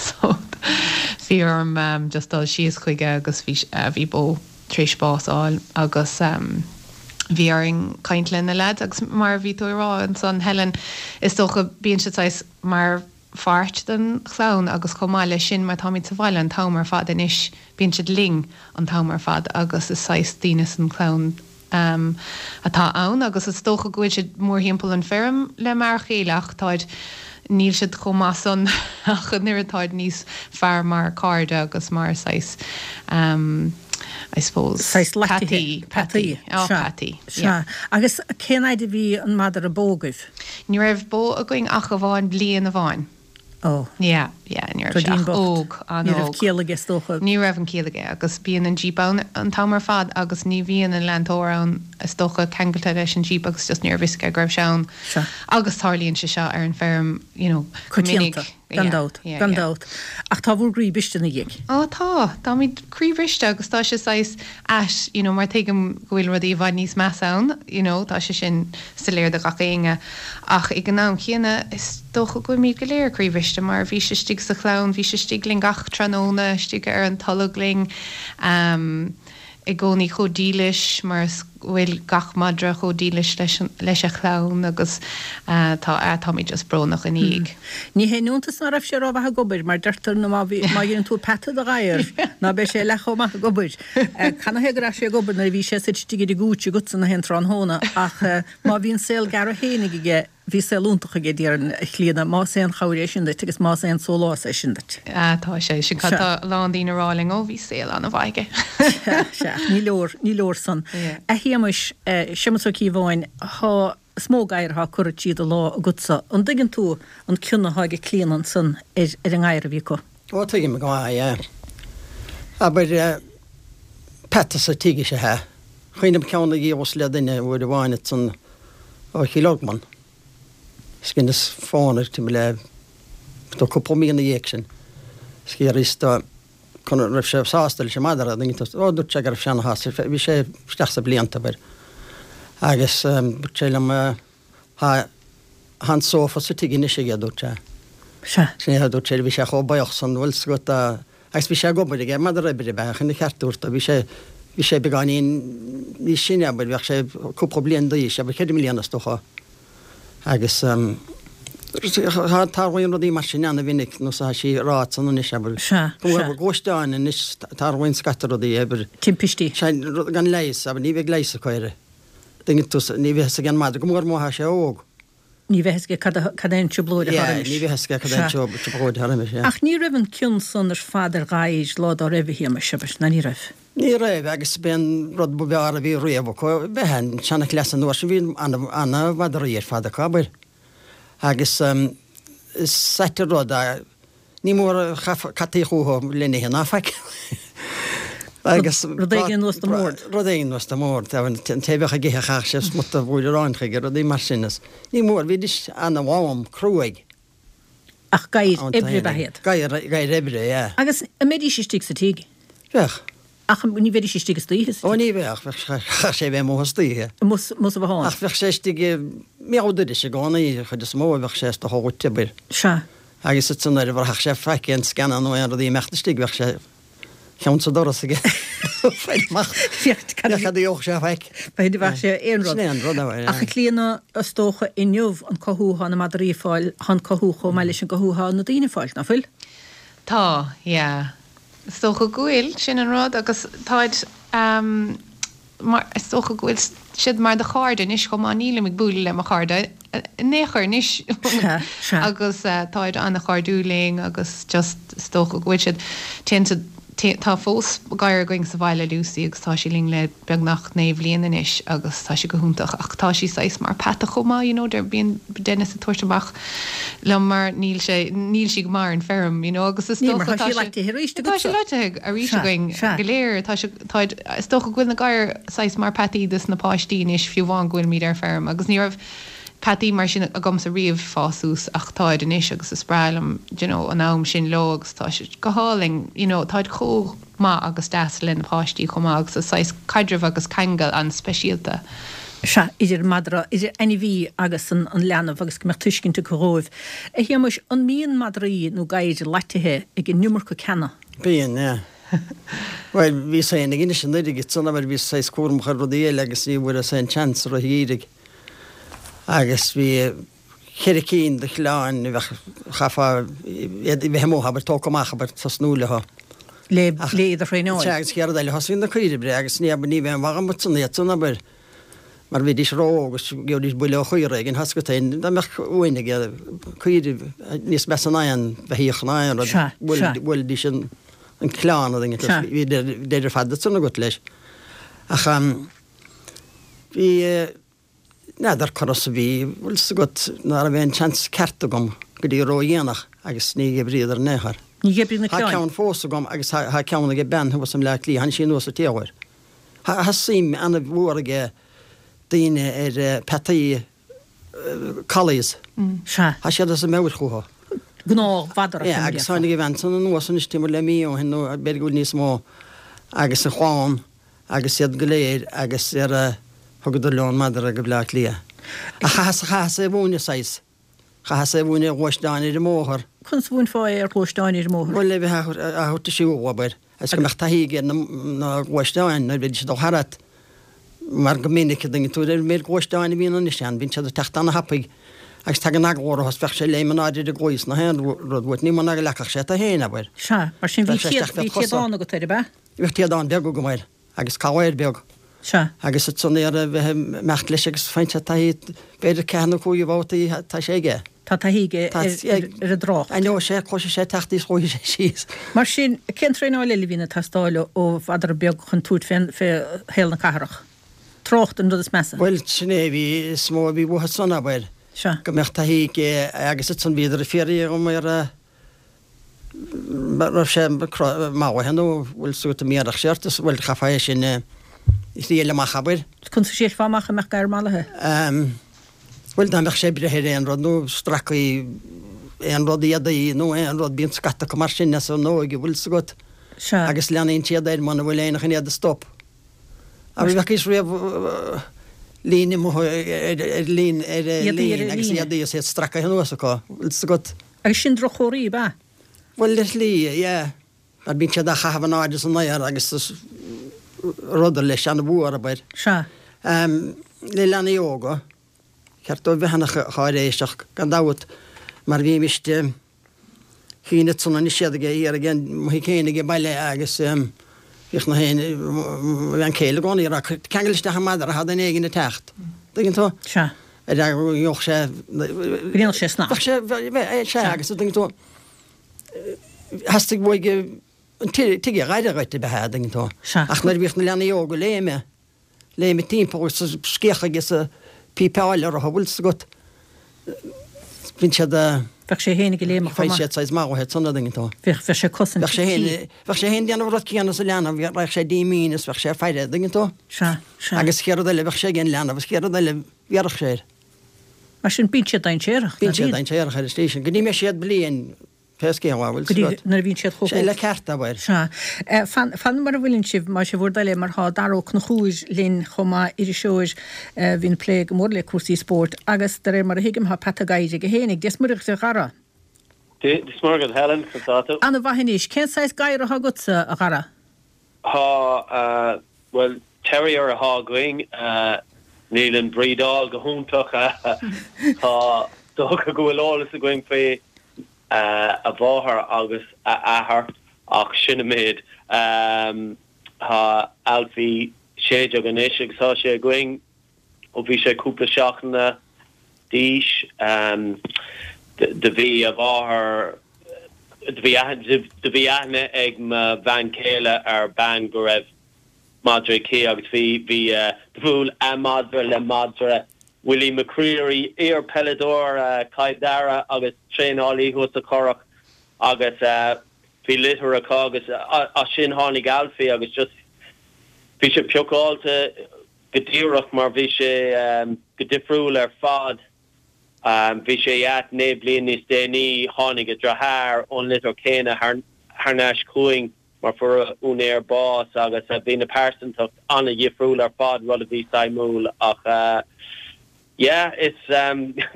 So bhí orm just dul síos chuige agus bhí, bhí Bó tar éis bás a fháil agus bhí orainn caint le na leaids agus mar a bhí tú ag rá ansan Helen, is dócha bíonn siad saghas mar pháirt den chlann agus chomh maith leis sin mar táimid sa bhaile an t-am ar fad anois bíonn siad linn an t-am ar fad agus is saghas daoine san chlann atá ann agus is dócha go bhfuil siad mórthimpeall an feirm le m'fhear chéile ach táid níl siad chomh maith san ach an oiread táid níos fearr mar cairde agus mar saghas I suppose Saghas laitithe. Peataí. Peataí. Ó Sea. peataí. Sea. Yeah. Agus cén fhaid a bhí an madra Bó agaibh? Ní raibh Bó againn ach amháin bliain amháin. Ó. Yeah, yeah, ní raibh sé Ruidín ach bocht. óg, Ní raibh an-óg. ciall aige is dócha. Ní raibh an ciall aige agus bíonn an Jeep ann an t-am ar fad agus ní bhíonn an leantóir ann is dócha ceangailte leis an Jeep agus just ní raibh fhios aige go raibh sé ann. Sea. Agus tarlaíonn sé seo ar an feirm, you know, go minic. Coitianta, gan Yeah, dabht, yeah, gan yeah. dabht. Ach tá bhur gcroí briste ina dhiaidh. Ó tá, táimid croíbhriste agus tá sé saghas ait, you know, mar tuigim go bhfuil rudaí i bhfad níos measa ann, you know, tá sé sin soiléir do gach éinne ach ag an am chéanna is dócha go bhfuilimid go léir croíbhriste mar bhí sé istigh sa chlann, bhí sé istigh linn gach tráthnóna, istigh ar an tolg linn, um, i gcónaí chomh dílis mar is go bhfuil gach madra chomh dílis leis an, leis a chlann agus uh, tá, uh, táimid just brónach ina dhiaidh. Ní haon iontas ná raibh sé rómhaith ag obair, mar deirtear nó má bhí, má dhéanann tú peata de ghadhar, ná beidh sé leath chomh maith ag obair. Canathaobh go raibh sé ag obair nuair a bhí sé suite istigh ar an gcúitse agatsa na haon tráthnóna, ach má bhí an saol gearr fhéinig aige, Bhí saol iontach aige, déarfainn, a Chlíodhna, más aon chabhair é sin duit agus más aon sólás é sin duit. Ah, tá sé sin, cad tá a lán daoine a rá linn, ó, bhí saol an-mhaith aige. Sea, sea, ach ní leor, ní leor san. A Shéamais, Séamas Ó Cíobháin, thá, is mó gadhar athá curtha tríd an lá agatsa. An dtuigeann tú an cion athá ag Clíodhna ansan ar, ar an ngadhar a bhí acu? Ó, tuigim go maith, yeah. Abair, peata sa tigh is ea é. Cuimhním ceann a dhíolas le duine uair amháin ansan ó Chill Orglan. Is dheineas fón air timpeall le do cúpla mí ina dhiaidh sin. Is d'fhiafraíos de an raibh sé sásta leis an madra a dtuigeann tú. Ó dúirt sé go raibh sé ana-shásta. Bhí sé isteach sna blianta abair. Agus dúirt sé liom thá thá an sófa sa tigh anois aige dúirt sé. Sea. Sin é dúirt sé bhí sé chomh buíoch san bhfuil 's agat agus bhí sé ag obair aige madra oibre ab ea ach ina cheart dúirt bhí sé bhí sé beagáinín níos sine abair bheadh sé cúpla bliain d'aois abair ceithre mbliana is dócha. Agus tarlaíonn rudaí mar sin ana-mhinic, nós atá sí ag rá ansan anois, abair. Sea, Go sea. bhfuil gluaisteáin anois, tarlaíonn scata rudaí, abair. Timpistí. Sea, rud gan leigheas, abair, ní bheidh leigheas acu air. Tuigeann tú, ní bheidh fhios ag an madra, go mór mór má tá sé óg. Ní bheidh fhios aige cad a, cad é an trioblóid atá Yeah, roimis. ní bheidh fhios aige cad é an Sea. trioblóid atá roimis, yeah. Ach ní raibh an cion san ar fad ar ghadhair lá dá raibh, a Shéamais, abair, ná ní raibh? Ní raibh, agus b'é an rud ba bhfearr a bhí riamh acu, b'é an seanchleas an uair sin, bhí ana-mhadraí ar fad acu, abair. Agus is ait an rud é, ní mór a chaith cataí chucu lena ithe ná faic. Agus Rud éigin anuas don mbord. Rud éigin anuas don mbord, an té a bheadh ag ithe chaithfeadh sé smut de bhuaile aráin chuige, rudaí mar sin. Is ní mór, bhídís ana-mhám, cruaidh. Ach gadhair oibre ab ea iad. Gadhair, gadhair oibre, yeah. Agus an mbeidís istigh sa tigh? Bheadh. Ach ní bheidís istigh istoíche sa Ó tigh? ní bheadh, bheadh, chaithfeadh sé bheith amuigh istoíche. Amuigh, amuigh sa bhothán. Ach bheadh sé istigh i mbéal dorais i gcónaí, an chuid is mó a bheadh sé is dócha dhuit, abair. Sea. Agus ansan nuair a bhraithfeadh sé faic, aon scannán nó aon rud ag imeacht istigh, bheadh sé ceann sa doras aige. Fáil amach. Féach cad a Féach cad a gheobhadh sé faic. B'fhéidir bheadh sé aon rud. Sin é an rud, abair, Ach a Chlíodhna, is dócha inniu an cothú atá na madraí ag fáil, tá an cothú chomh maith leis an gcothú atá na daoine ag fáil, ná fuil? Tá, yeah. Is dócha go bhfuil, sin an rud, agus táid, mar, is dócha go bhfuil siad mar do chairde anois chomh maith, nílim ag bualadh le mo chairde in aon chor anois Sea, sea. agus táid an-chairdiúil linn agus just is dócha go bhfuil siad, téann siad Tá fós gadhar againn sa bhaile Lucy agus tá sí linn le beagnach naoi bhliain anois agus tá sí go hiontach ach tá sí saghas mar peata chomh maith you know der bíonn Dennis ag tabhairt amach liom mar níl sé níl sí go maith ar an feirm you know agus is Níl mar dócha tá tá sí sé laitithe arís tá agatsa. sí laitithe arís Sea, againn sea. go léir tá sé tá is dócha go bhfuil na gadhair saghas mar peataí dos na páistí anois fiú amháin go bhfuilimid ar feirm agus ní raibh peataí mar sin agamsa riamh fás suas ach táid anois agus is breá liom you know, an am sin leo agus tá sé go hálainn you know, táid chomh maith agus deas le na páistí chomh maith agus is saghas caidreamh agus ceangal an-speisialta. Sea, idir madra, idir ainmhí agus an, an leanbh agus go mbeadh tuiscint acu dhóibh. A Shéamuis, an mbíonn madraí nó gadhair laitithe ag an iomarca ceana? Bíonn, yeah. Bhuel, bhíos féin ag Inis an Oirthir ansan abair bhíos saghas cúramach ar rudaí eile agus ní bhfuaireas aon chance ar an gheimhreadh. Agus bhí ceithre cinn de chlann a bheadh, chaithfeá iad a bheith amuigh, abair, tógtha amach, abair, tosnú leo. Le, le iad a thraenáil. Sea, agus chéad rud eile, thosaigh na caoirigh breá agus ní, abair, ní bheadh aon mhaith agam ansan iad san, abair, mar bhídís ró-óg agus gheobhaidís buille ó chaora éigin, tá a fhios agat féin, dá mbeadh uain ag caoirigh níos measa ná aon bheithíoch ná aon rud, Sea, sea. bhuailfidís an, an clann, a dhuine, Sea. bhí deireadh fada ansan agat leis. Ach bhí, N'fheadar conas a bhí, bhfuil 's agat, ná raibh aon seans ceart agam go dtí ró-dhéanach agus ní dh'oibríodar in aon chor. Ní dh'oibrigh na Tá clann? ceann fós agam agus tá tá ceann ag bean thuas i mBleá Cliath, tháinig sí anuas an t-uair. Tá tá suim an-mhór ag daoine ar peataí collies. Sea. Tá siad as a meabhair chucu. Gnáth-mhadra, Yeah, agus tháinig a bhean san anuas anois timpeall le mí ó shin nó b'fhéidir go bhfuil níos mó agus a chlann agus iad go léir agus ar a thugadar leo an madra go Bleá Cliath. Ach chaitheas, chaitheas é a mhúineadh saghas. Chaitheas é a mhúineadh ar ghluaisteán ar an mbóthar. Conas a mhúinfeá é ar ghluaisteán ar an mbóthar? Bhuel, le bheith á thabhairt a siúl, abair, agus go mbeadh taithí aige ar na gluaisteáin nuair a bheidís ag dul tharat. Mar go minic a dtuigeann tú ar an méid gluaisteáin a bhíonn anois ann, bíonn siad ag teacht ana-thapaidh agus tagann eagla orthu is bheadh sé ag léim in airde ar an gcluas nó aon rud uait, ní muna go leagfadh sé tú féin, abair. Sea, mar sin bhí Bheadh sé isteach fé bhí do chosa. téadán agat air, ab ea? Bhíodh téadán beag agam air agus collaire beag. Sea. Agus ansan ar a bheith ag imeacht leis agus faigheann sé taithí, b'fhéidir ceathair nó cúig bhabhtaí tá sé aige. Tá taithí aige Tá ar ar an dtrácht. Aithneoidh sé, cloisfidh sé teacht is gheobhaidh sé síos. Mar sin, cén traenáil eile a bhíonn ag teastáil ó mhadra beag chun tabhairt fén fé shaol na cathrach? Trácht an rud is measa. Bhuel, sin é a bhí, is mó a bhí uathu san, abair. Sea. Go mbeadh taithí aige agus ansan bhíodar ag fiafraí dhom ar a raibh sé mallaithe nó bhfuil a fhios agat an mbéarfadh sé ort is bhuel chaithfeá é sin a thriail amach abair. Conas a thriailfeá amach an mbeadh gadhar mallaithe? Bhuel dá mbeadh sé ag breith ar aon rud nó stracaí aon rud éadaí nó aon rud bíonn scata acu mar sin as an óige bhfuil 's agat Sea. agus leanaíonn siad air muna bhfuil aon chun iad a stop. An bhfacaís riamh líne amuigh ar líne ar Éadaí ar líne agus líne. éadaí is iad stracaithe anuas acu bhfuil 's agat. Agus sin droch-chomhartha, ab ea? Bhuel, ar shlí, yeah. Mar bíonn siad á chaitheamh in airde san aer agus is rud leis an-mhór, abair. Sea. Le leanaí óga, ceart dóibh bheith ana-cháiréiseach, gan dabht, mar bhímist chinn ansan anois iad ag iarraidh an mo thigh féin ag baile agus bhíodh na haon, mo bhean chéile i gcónaí ag rá, ceangail isteach an madra, tá duine éigin ag teacht. Tuigeann tú? Sea. Ar go ngeobhadh sé. Go ndéanfadh sé snas. Bheadh sé, bheadh, sea, agus tuigeann tú, theastaigh uaidh an tigh a dh'aire dhuit a bheith a' dtuigeann tú. Sea. Ach nuair a bhíodh na leanaí óga ag léimeadh, léimeadh timpeall agus ag scréachadh agus ag pípeáil orthu, bhfuil 's agat, bíonn siad a. Bheadh sé fhéinig ag léimeadh chomh Faigheann maith. siad saghas mallaithe ansan a' dtuigeann tú. Bheadh, bheadh sé ag cosaint Bheadh sé tí. fhéin, bheadh sé fhéin déanamh an rud céanna is an leanbh, raghadh sé díomhaoin is bheadh sé ag faire, a' dtuigeann tú. Sea, sea. Agus chéad rud eile bheadh sé ag an leanbh is chéad rud eile bhéarfadh sé air. Mar sin, bíonn siad dainséarach, ná Bíonn siad bíonn? dainséarach ar an slí sin. Go dtí mbeidh siad bliain, pé scéal é, bhfuil Go 's dtí agat. nuair a bhíonn siad chomh Sé le hóg. ceart, abair. Sea. Fan, fan mar a bhfuileann sibh, más é bhur dtoil é, mar tá Dara Ó Conchúir linn chomh maith, iriseoir a bhíonn ag plé go mór le cúrsaí spóirt agus, de réir mar a thuigim, tá peata gadhair aige fhéinig. Dia 's Muire dhuit, a Dhara. Dia 's Muire dhuit, Helen, conas tá tú? Ana-mhaith anois. Cén saghas gadhar atá agatsa, a Dhara? Tá, bhuel, terrier atá againn. Níl an bhrídeáil go hiontach. Tá dócha go bhfuil eolas againn faoi a mháthair agus a athair ach sin an méid. Tá Alfie sé déag anois agus tá sé againn ó bhí sé cúpla seachtaine d'aois. Do bhí a mháthair Do bhí do bhí aithne ag mo bhean chéile ar bean go raibh madra aici agus bhí bhí do bhuail a madra le madra Willie McCreery, iar-peileadóir Chill Dara agus traenálaí thuas sa Churrach agus bhí litter acu agus as sin tháinig Alfie agus just bhí sé piocáilte go díreach mar bhí sé go difriúil ar fad. Bhí sé ait naoi bliain níos déanaí tháinig a dheartháir ón litter céanna thar thar n-ais chugainn mar fuair a úinéir bás agus bhí na pearsantacht an-dhifriúil ar fad, rud a bhí suimiúil ach yeah is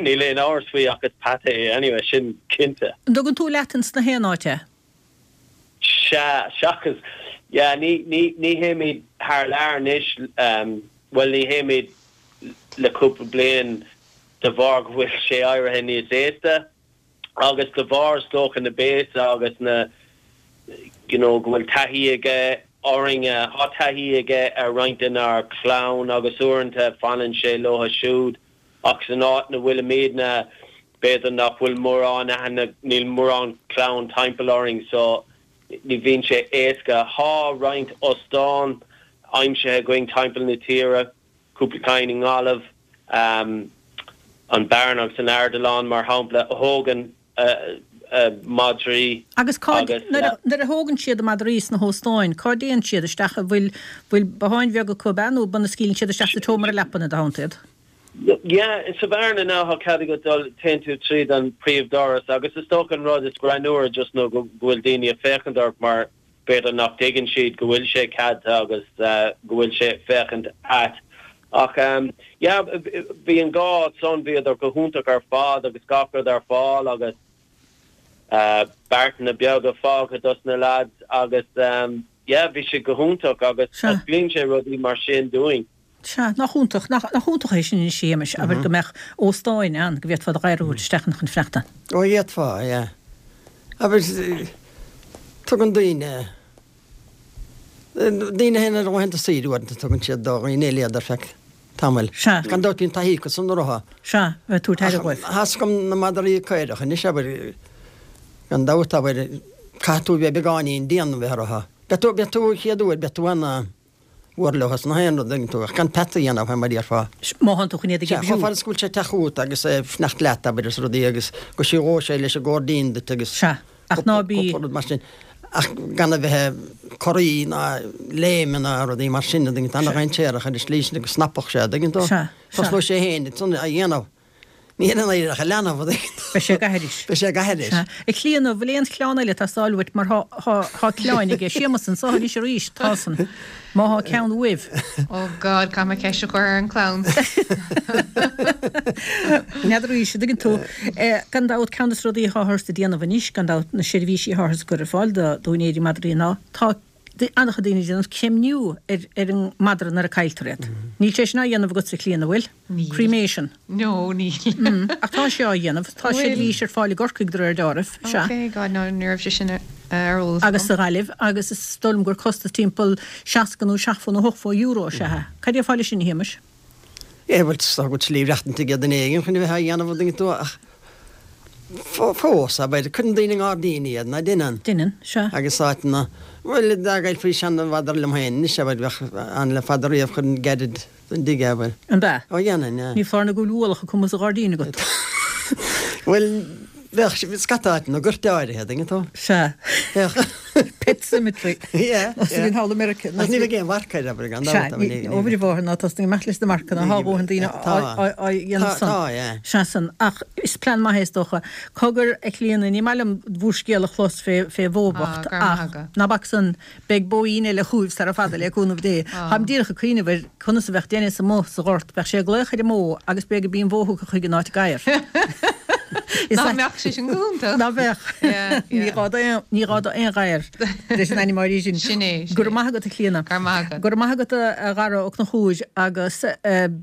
níl aon amhras faoi ach is peata é anyway, sin cinnte. An dtugann tú leat ins na haon áit é? Sea, seachas, yeah, ní, ní, ní théimid thar lear anois, bhuel ní théimid le cúpla bliain de bharr go bhfuil sé éirithe níos aosta agus de bharr is dócha na béasa agus na you know go bhfuil taithí aige orainn, tá taithí aige ar roinnt denár chlann agus uaireanta fanann sé leo siúd ach san áit 'na bhfuilimidne b'fhéidir nach bhfuil mórán aithne, níl mórán clann timpeall orainn so ní bhíonn sé éasca. Tá roinnt óstán aimsithe againn timpeall na tíre. cúpla ceann i nGaillimh, an Baron agus an Ardilaun mar shampla, a thógann madraí Agus cá, nuair a thógann siad a madraí sna hóstáin, cá dtéann siad isteach? An bhfuil, bhfuil botháin bheaga acu ab ea nó an scaoileann siad isteach sa tseomra leapan i do theannta iad? Yeah, sa Bhearna now tá cead agat dul, téann tú tríd an príomhdhoras agus is dócha an rud is greannmhaire just nó go bhfuil daoine ag féachaint ort mar B'fhéidir nach dtuigeann siad go bhfuil sé ceadaithe agus go bhfuil sé ag féachaint ait. Ach yeah, bhí an dhá áit san, bhíodar go hiontach ar fad agus gach rud ar fáil agus beartanna beaga fágtha dos na lads agus yeah, bhí sé go hiontach agus osclaíonn sé rudaí mar sin dúinn. Sea, nach iontach, nach iontach é sin anois, a Shéamais, abair go mbeadh óstáin ann go bhféadfá do ghadhar a thabhairt isteach ann chun fanacht ann. Ó, d'fhéadfá, yeah. Abair, tugann daoine, daoine féin ar laethanta saoire uaireanta tugann siad do dhaoine eile iad ar feadh tamaill. Sea. Gan dabht bíonn taithí acu san orthu. Sea, bheith ag tabhairt aire dhóibh. Ach thá's agam na madraí caorach anois, abair, gan dabht, abair, caithfidh tú bheith beagáinín dian a bheith orthu. Beidh tú, beidh tú an chéad uair, beidh tú ana, mhór leo is nach aon rud, an dtuigeann tú, ach gan peata a dhéanamh, mar a déarfá. Má thánn tú chun iad a Sea, oibriú. chomh fada is go bhfuil sé ag teacht chugat agus é ag fanacht leat, abair, is rudaí agus go siúlóidh sé leis an gcóirdín duit agus Sea, ach ná bí. cúpla rud mar sin. Ach gan a bheith ag corraí ná léim ná rudaí mar sin, an dtuigeann tú, ana-dhainséarach ar an slí sin go snapfadh sé, an dtuigeann tú. Sea, sea. Tosnóidh sé féin ansan á dhéanamh. Ní hé an éireach a leanbh, an dtuigeann tú. Beidh sé ag aithris. Beidh sé ag aithris. Sea. A Chlíona, bhfuil aon chlann eile ag teastáil uait mar thá, thá, thá clann aige Séamus anso anois arís, tá san. Má thá ceann uaibh. Oh God, caithfidh mé ceist a chur ar an chlann. N'fheadar arís, an dtuigeann tú. Gan dabht, ceann des rudaí atáthar ag déanamh anois, gan dabht, na seirbhísí atáthar ag cur ar fáil do, d'úinéirí madraí ná, tá, an-chuid daoine ag déanamh creimniú ar ar an madra nuair a cailltear iad. Níl sé sin á dhéanamh agatsa a Chlíona, bhfuil? Níl. Cremation. No, níl. Ach tá sé á dhéanamh. Tá seirbhís ar fáil i gCorcaigh de réir deáraimh. Sea. Ok, God, no, ní raibh sé sin ar eolas agam. Agus sa Ghaillimh, agus is dóigh liom gur costas timpeall seasca nó seachtó nó ochtó euro is ea é. Cad é fá leis sin, a Shéamais? Eh, bhuel, tá go slí reachtaint ag duine éigin chun a bheith á dhéanamh, an dtuigeann tú, ach fós, abair, cuireann daoine i ngairdíní iad, ná deineann? Deineann, sea. Agus áiteanna, bhuel, dá gcaillfí seanmhadra liom féin anois, abair, bheadh ann le fada riamh, chuirfinn gairid don dtigh é, abair. An b'ea? Ó, dhéanfainn, yeah. Ní foláir nó go bhfuil ualach acu amuigh sa ghairdín agat. Bhuel, bheadh scata áiteanna, goirt áirithe, an dtuigeann tú? Sea. Bheadh. Pet Cemetery. Yeah, yeah. Bhí thall i Meiriceá. Ach ní bheadh aon mharc air, abair, gan dabht. Sea, ó bhí bhóthar ná tosnaigh amach leis na marcanna, thá a dhóthain daoine á dhéanamh san. Tá, yeah. Sea san. Ach is plean maith é is dócha. Cogar, a Chlíona, ní maith liom bhur scéal a chlos fé fé bhó bocht ach ná bac san, beidh bóín eile chugaibh sara fada le cúnamh Dé. Táim díreach ag cuimhneamh ar conas a bheadh Dennis amuigh sa ghort, bheadh sé ag glaoch ar an mbó agus b'é go b'í an bhó thugtha chuig an áit gadhar. Nach mbeadh sé sin go hiontach? Ná bheadh. Ní gá do ní gá do aon ghadhar leis an ainm áirithe sin. Sin é. Go raibh maith agat a Chlíona. Go raibh maith agat. Go raibh maith agat a Dhara Ó Conchúir agus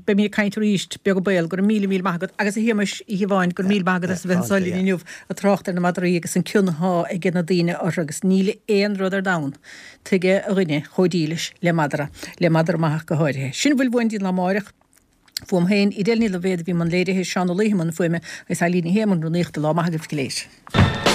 beimid ag caint arís beag an baol. Go raibh míle míle maith agat agus a Shéamais Uí Shiobháin go raibh míle maith agat as a bheith anso linn inniu ag trácht ar na madraí agus an cion athá ag na daoine orthu agus níl aon rud ar domhan tuige a dhuine chomh dílis le madra, le madra maith ach go háirithe. Sin a bhfuil uainn dtí an lá amáireach. Fuaim féin, Edel Ní Loibhéad a bhí i mbun léirithe, Seán Ó Laoithe i mbun fuaime agus Eileen Ní Shé i mbun rúnaíochta. Lá maith agaibh go léir.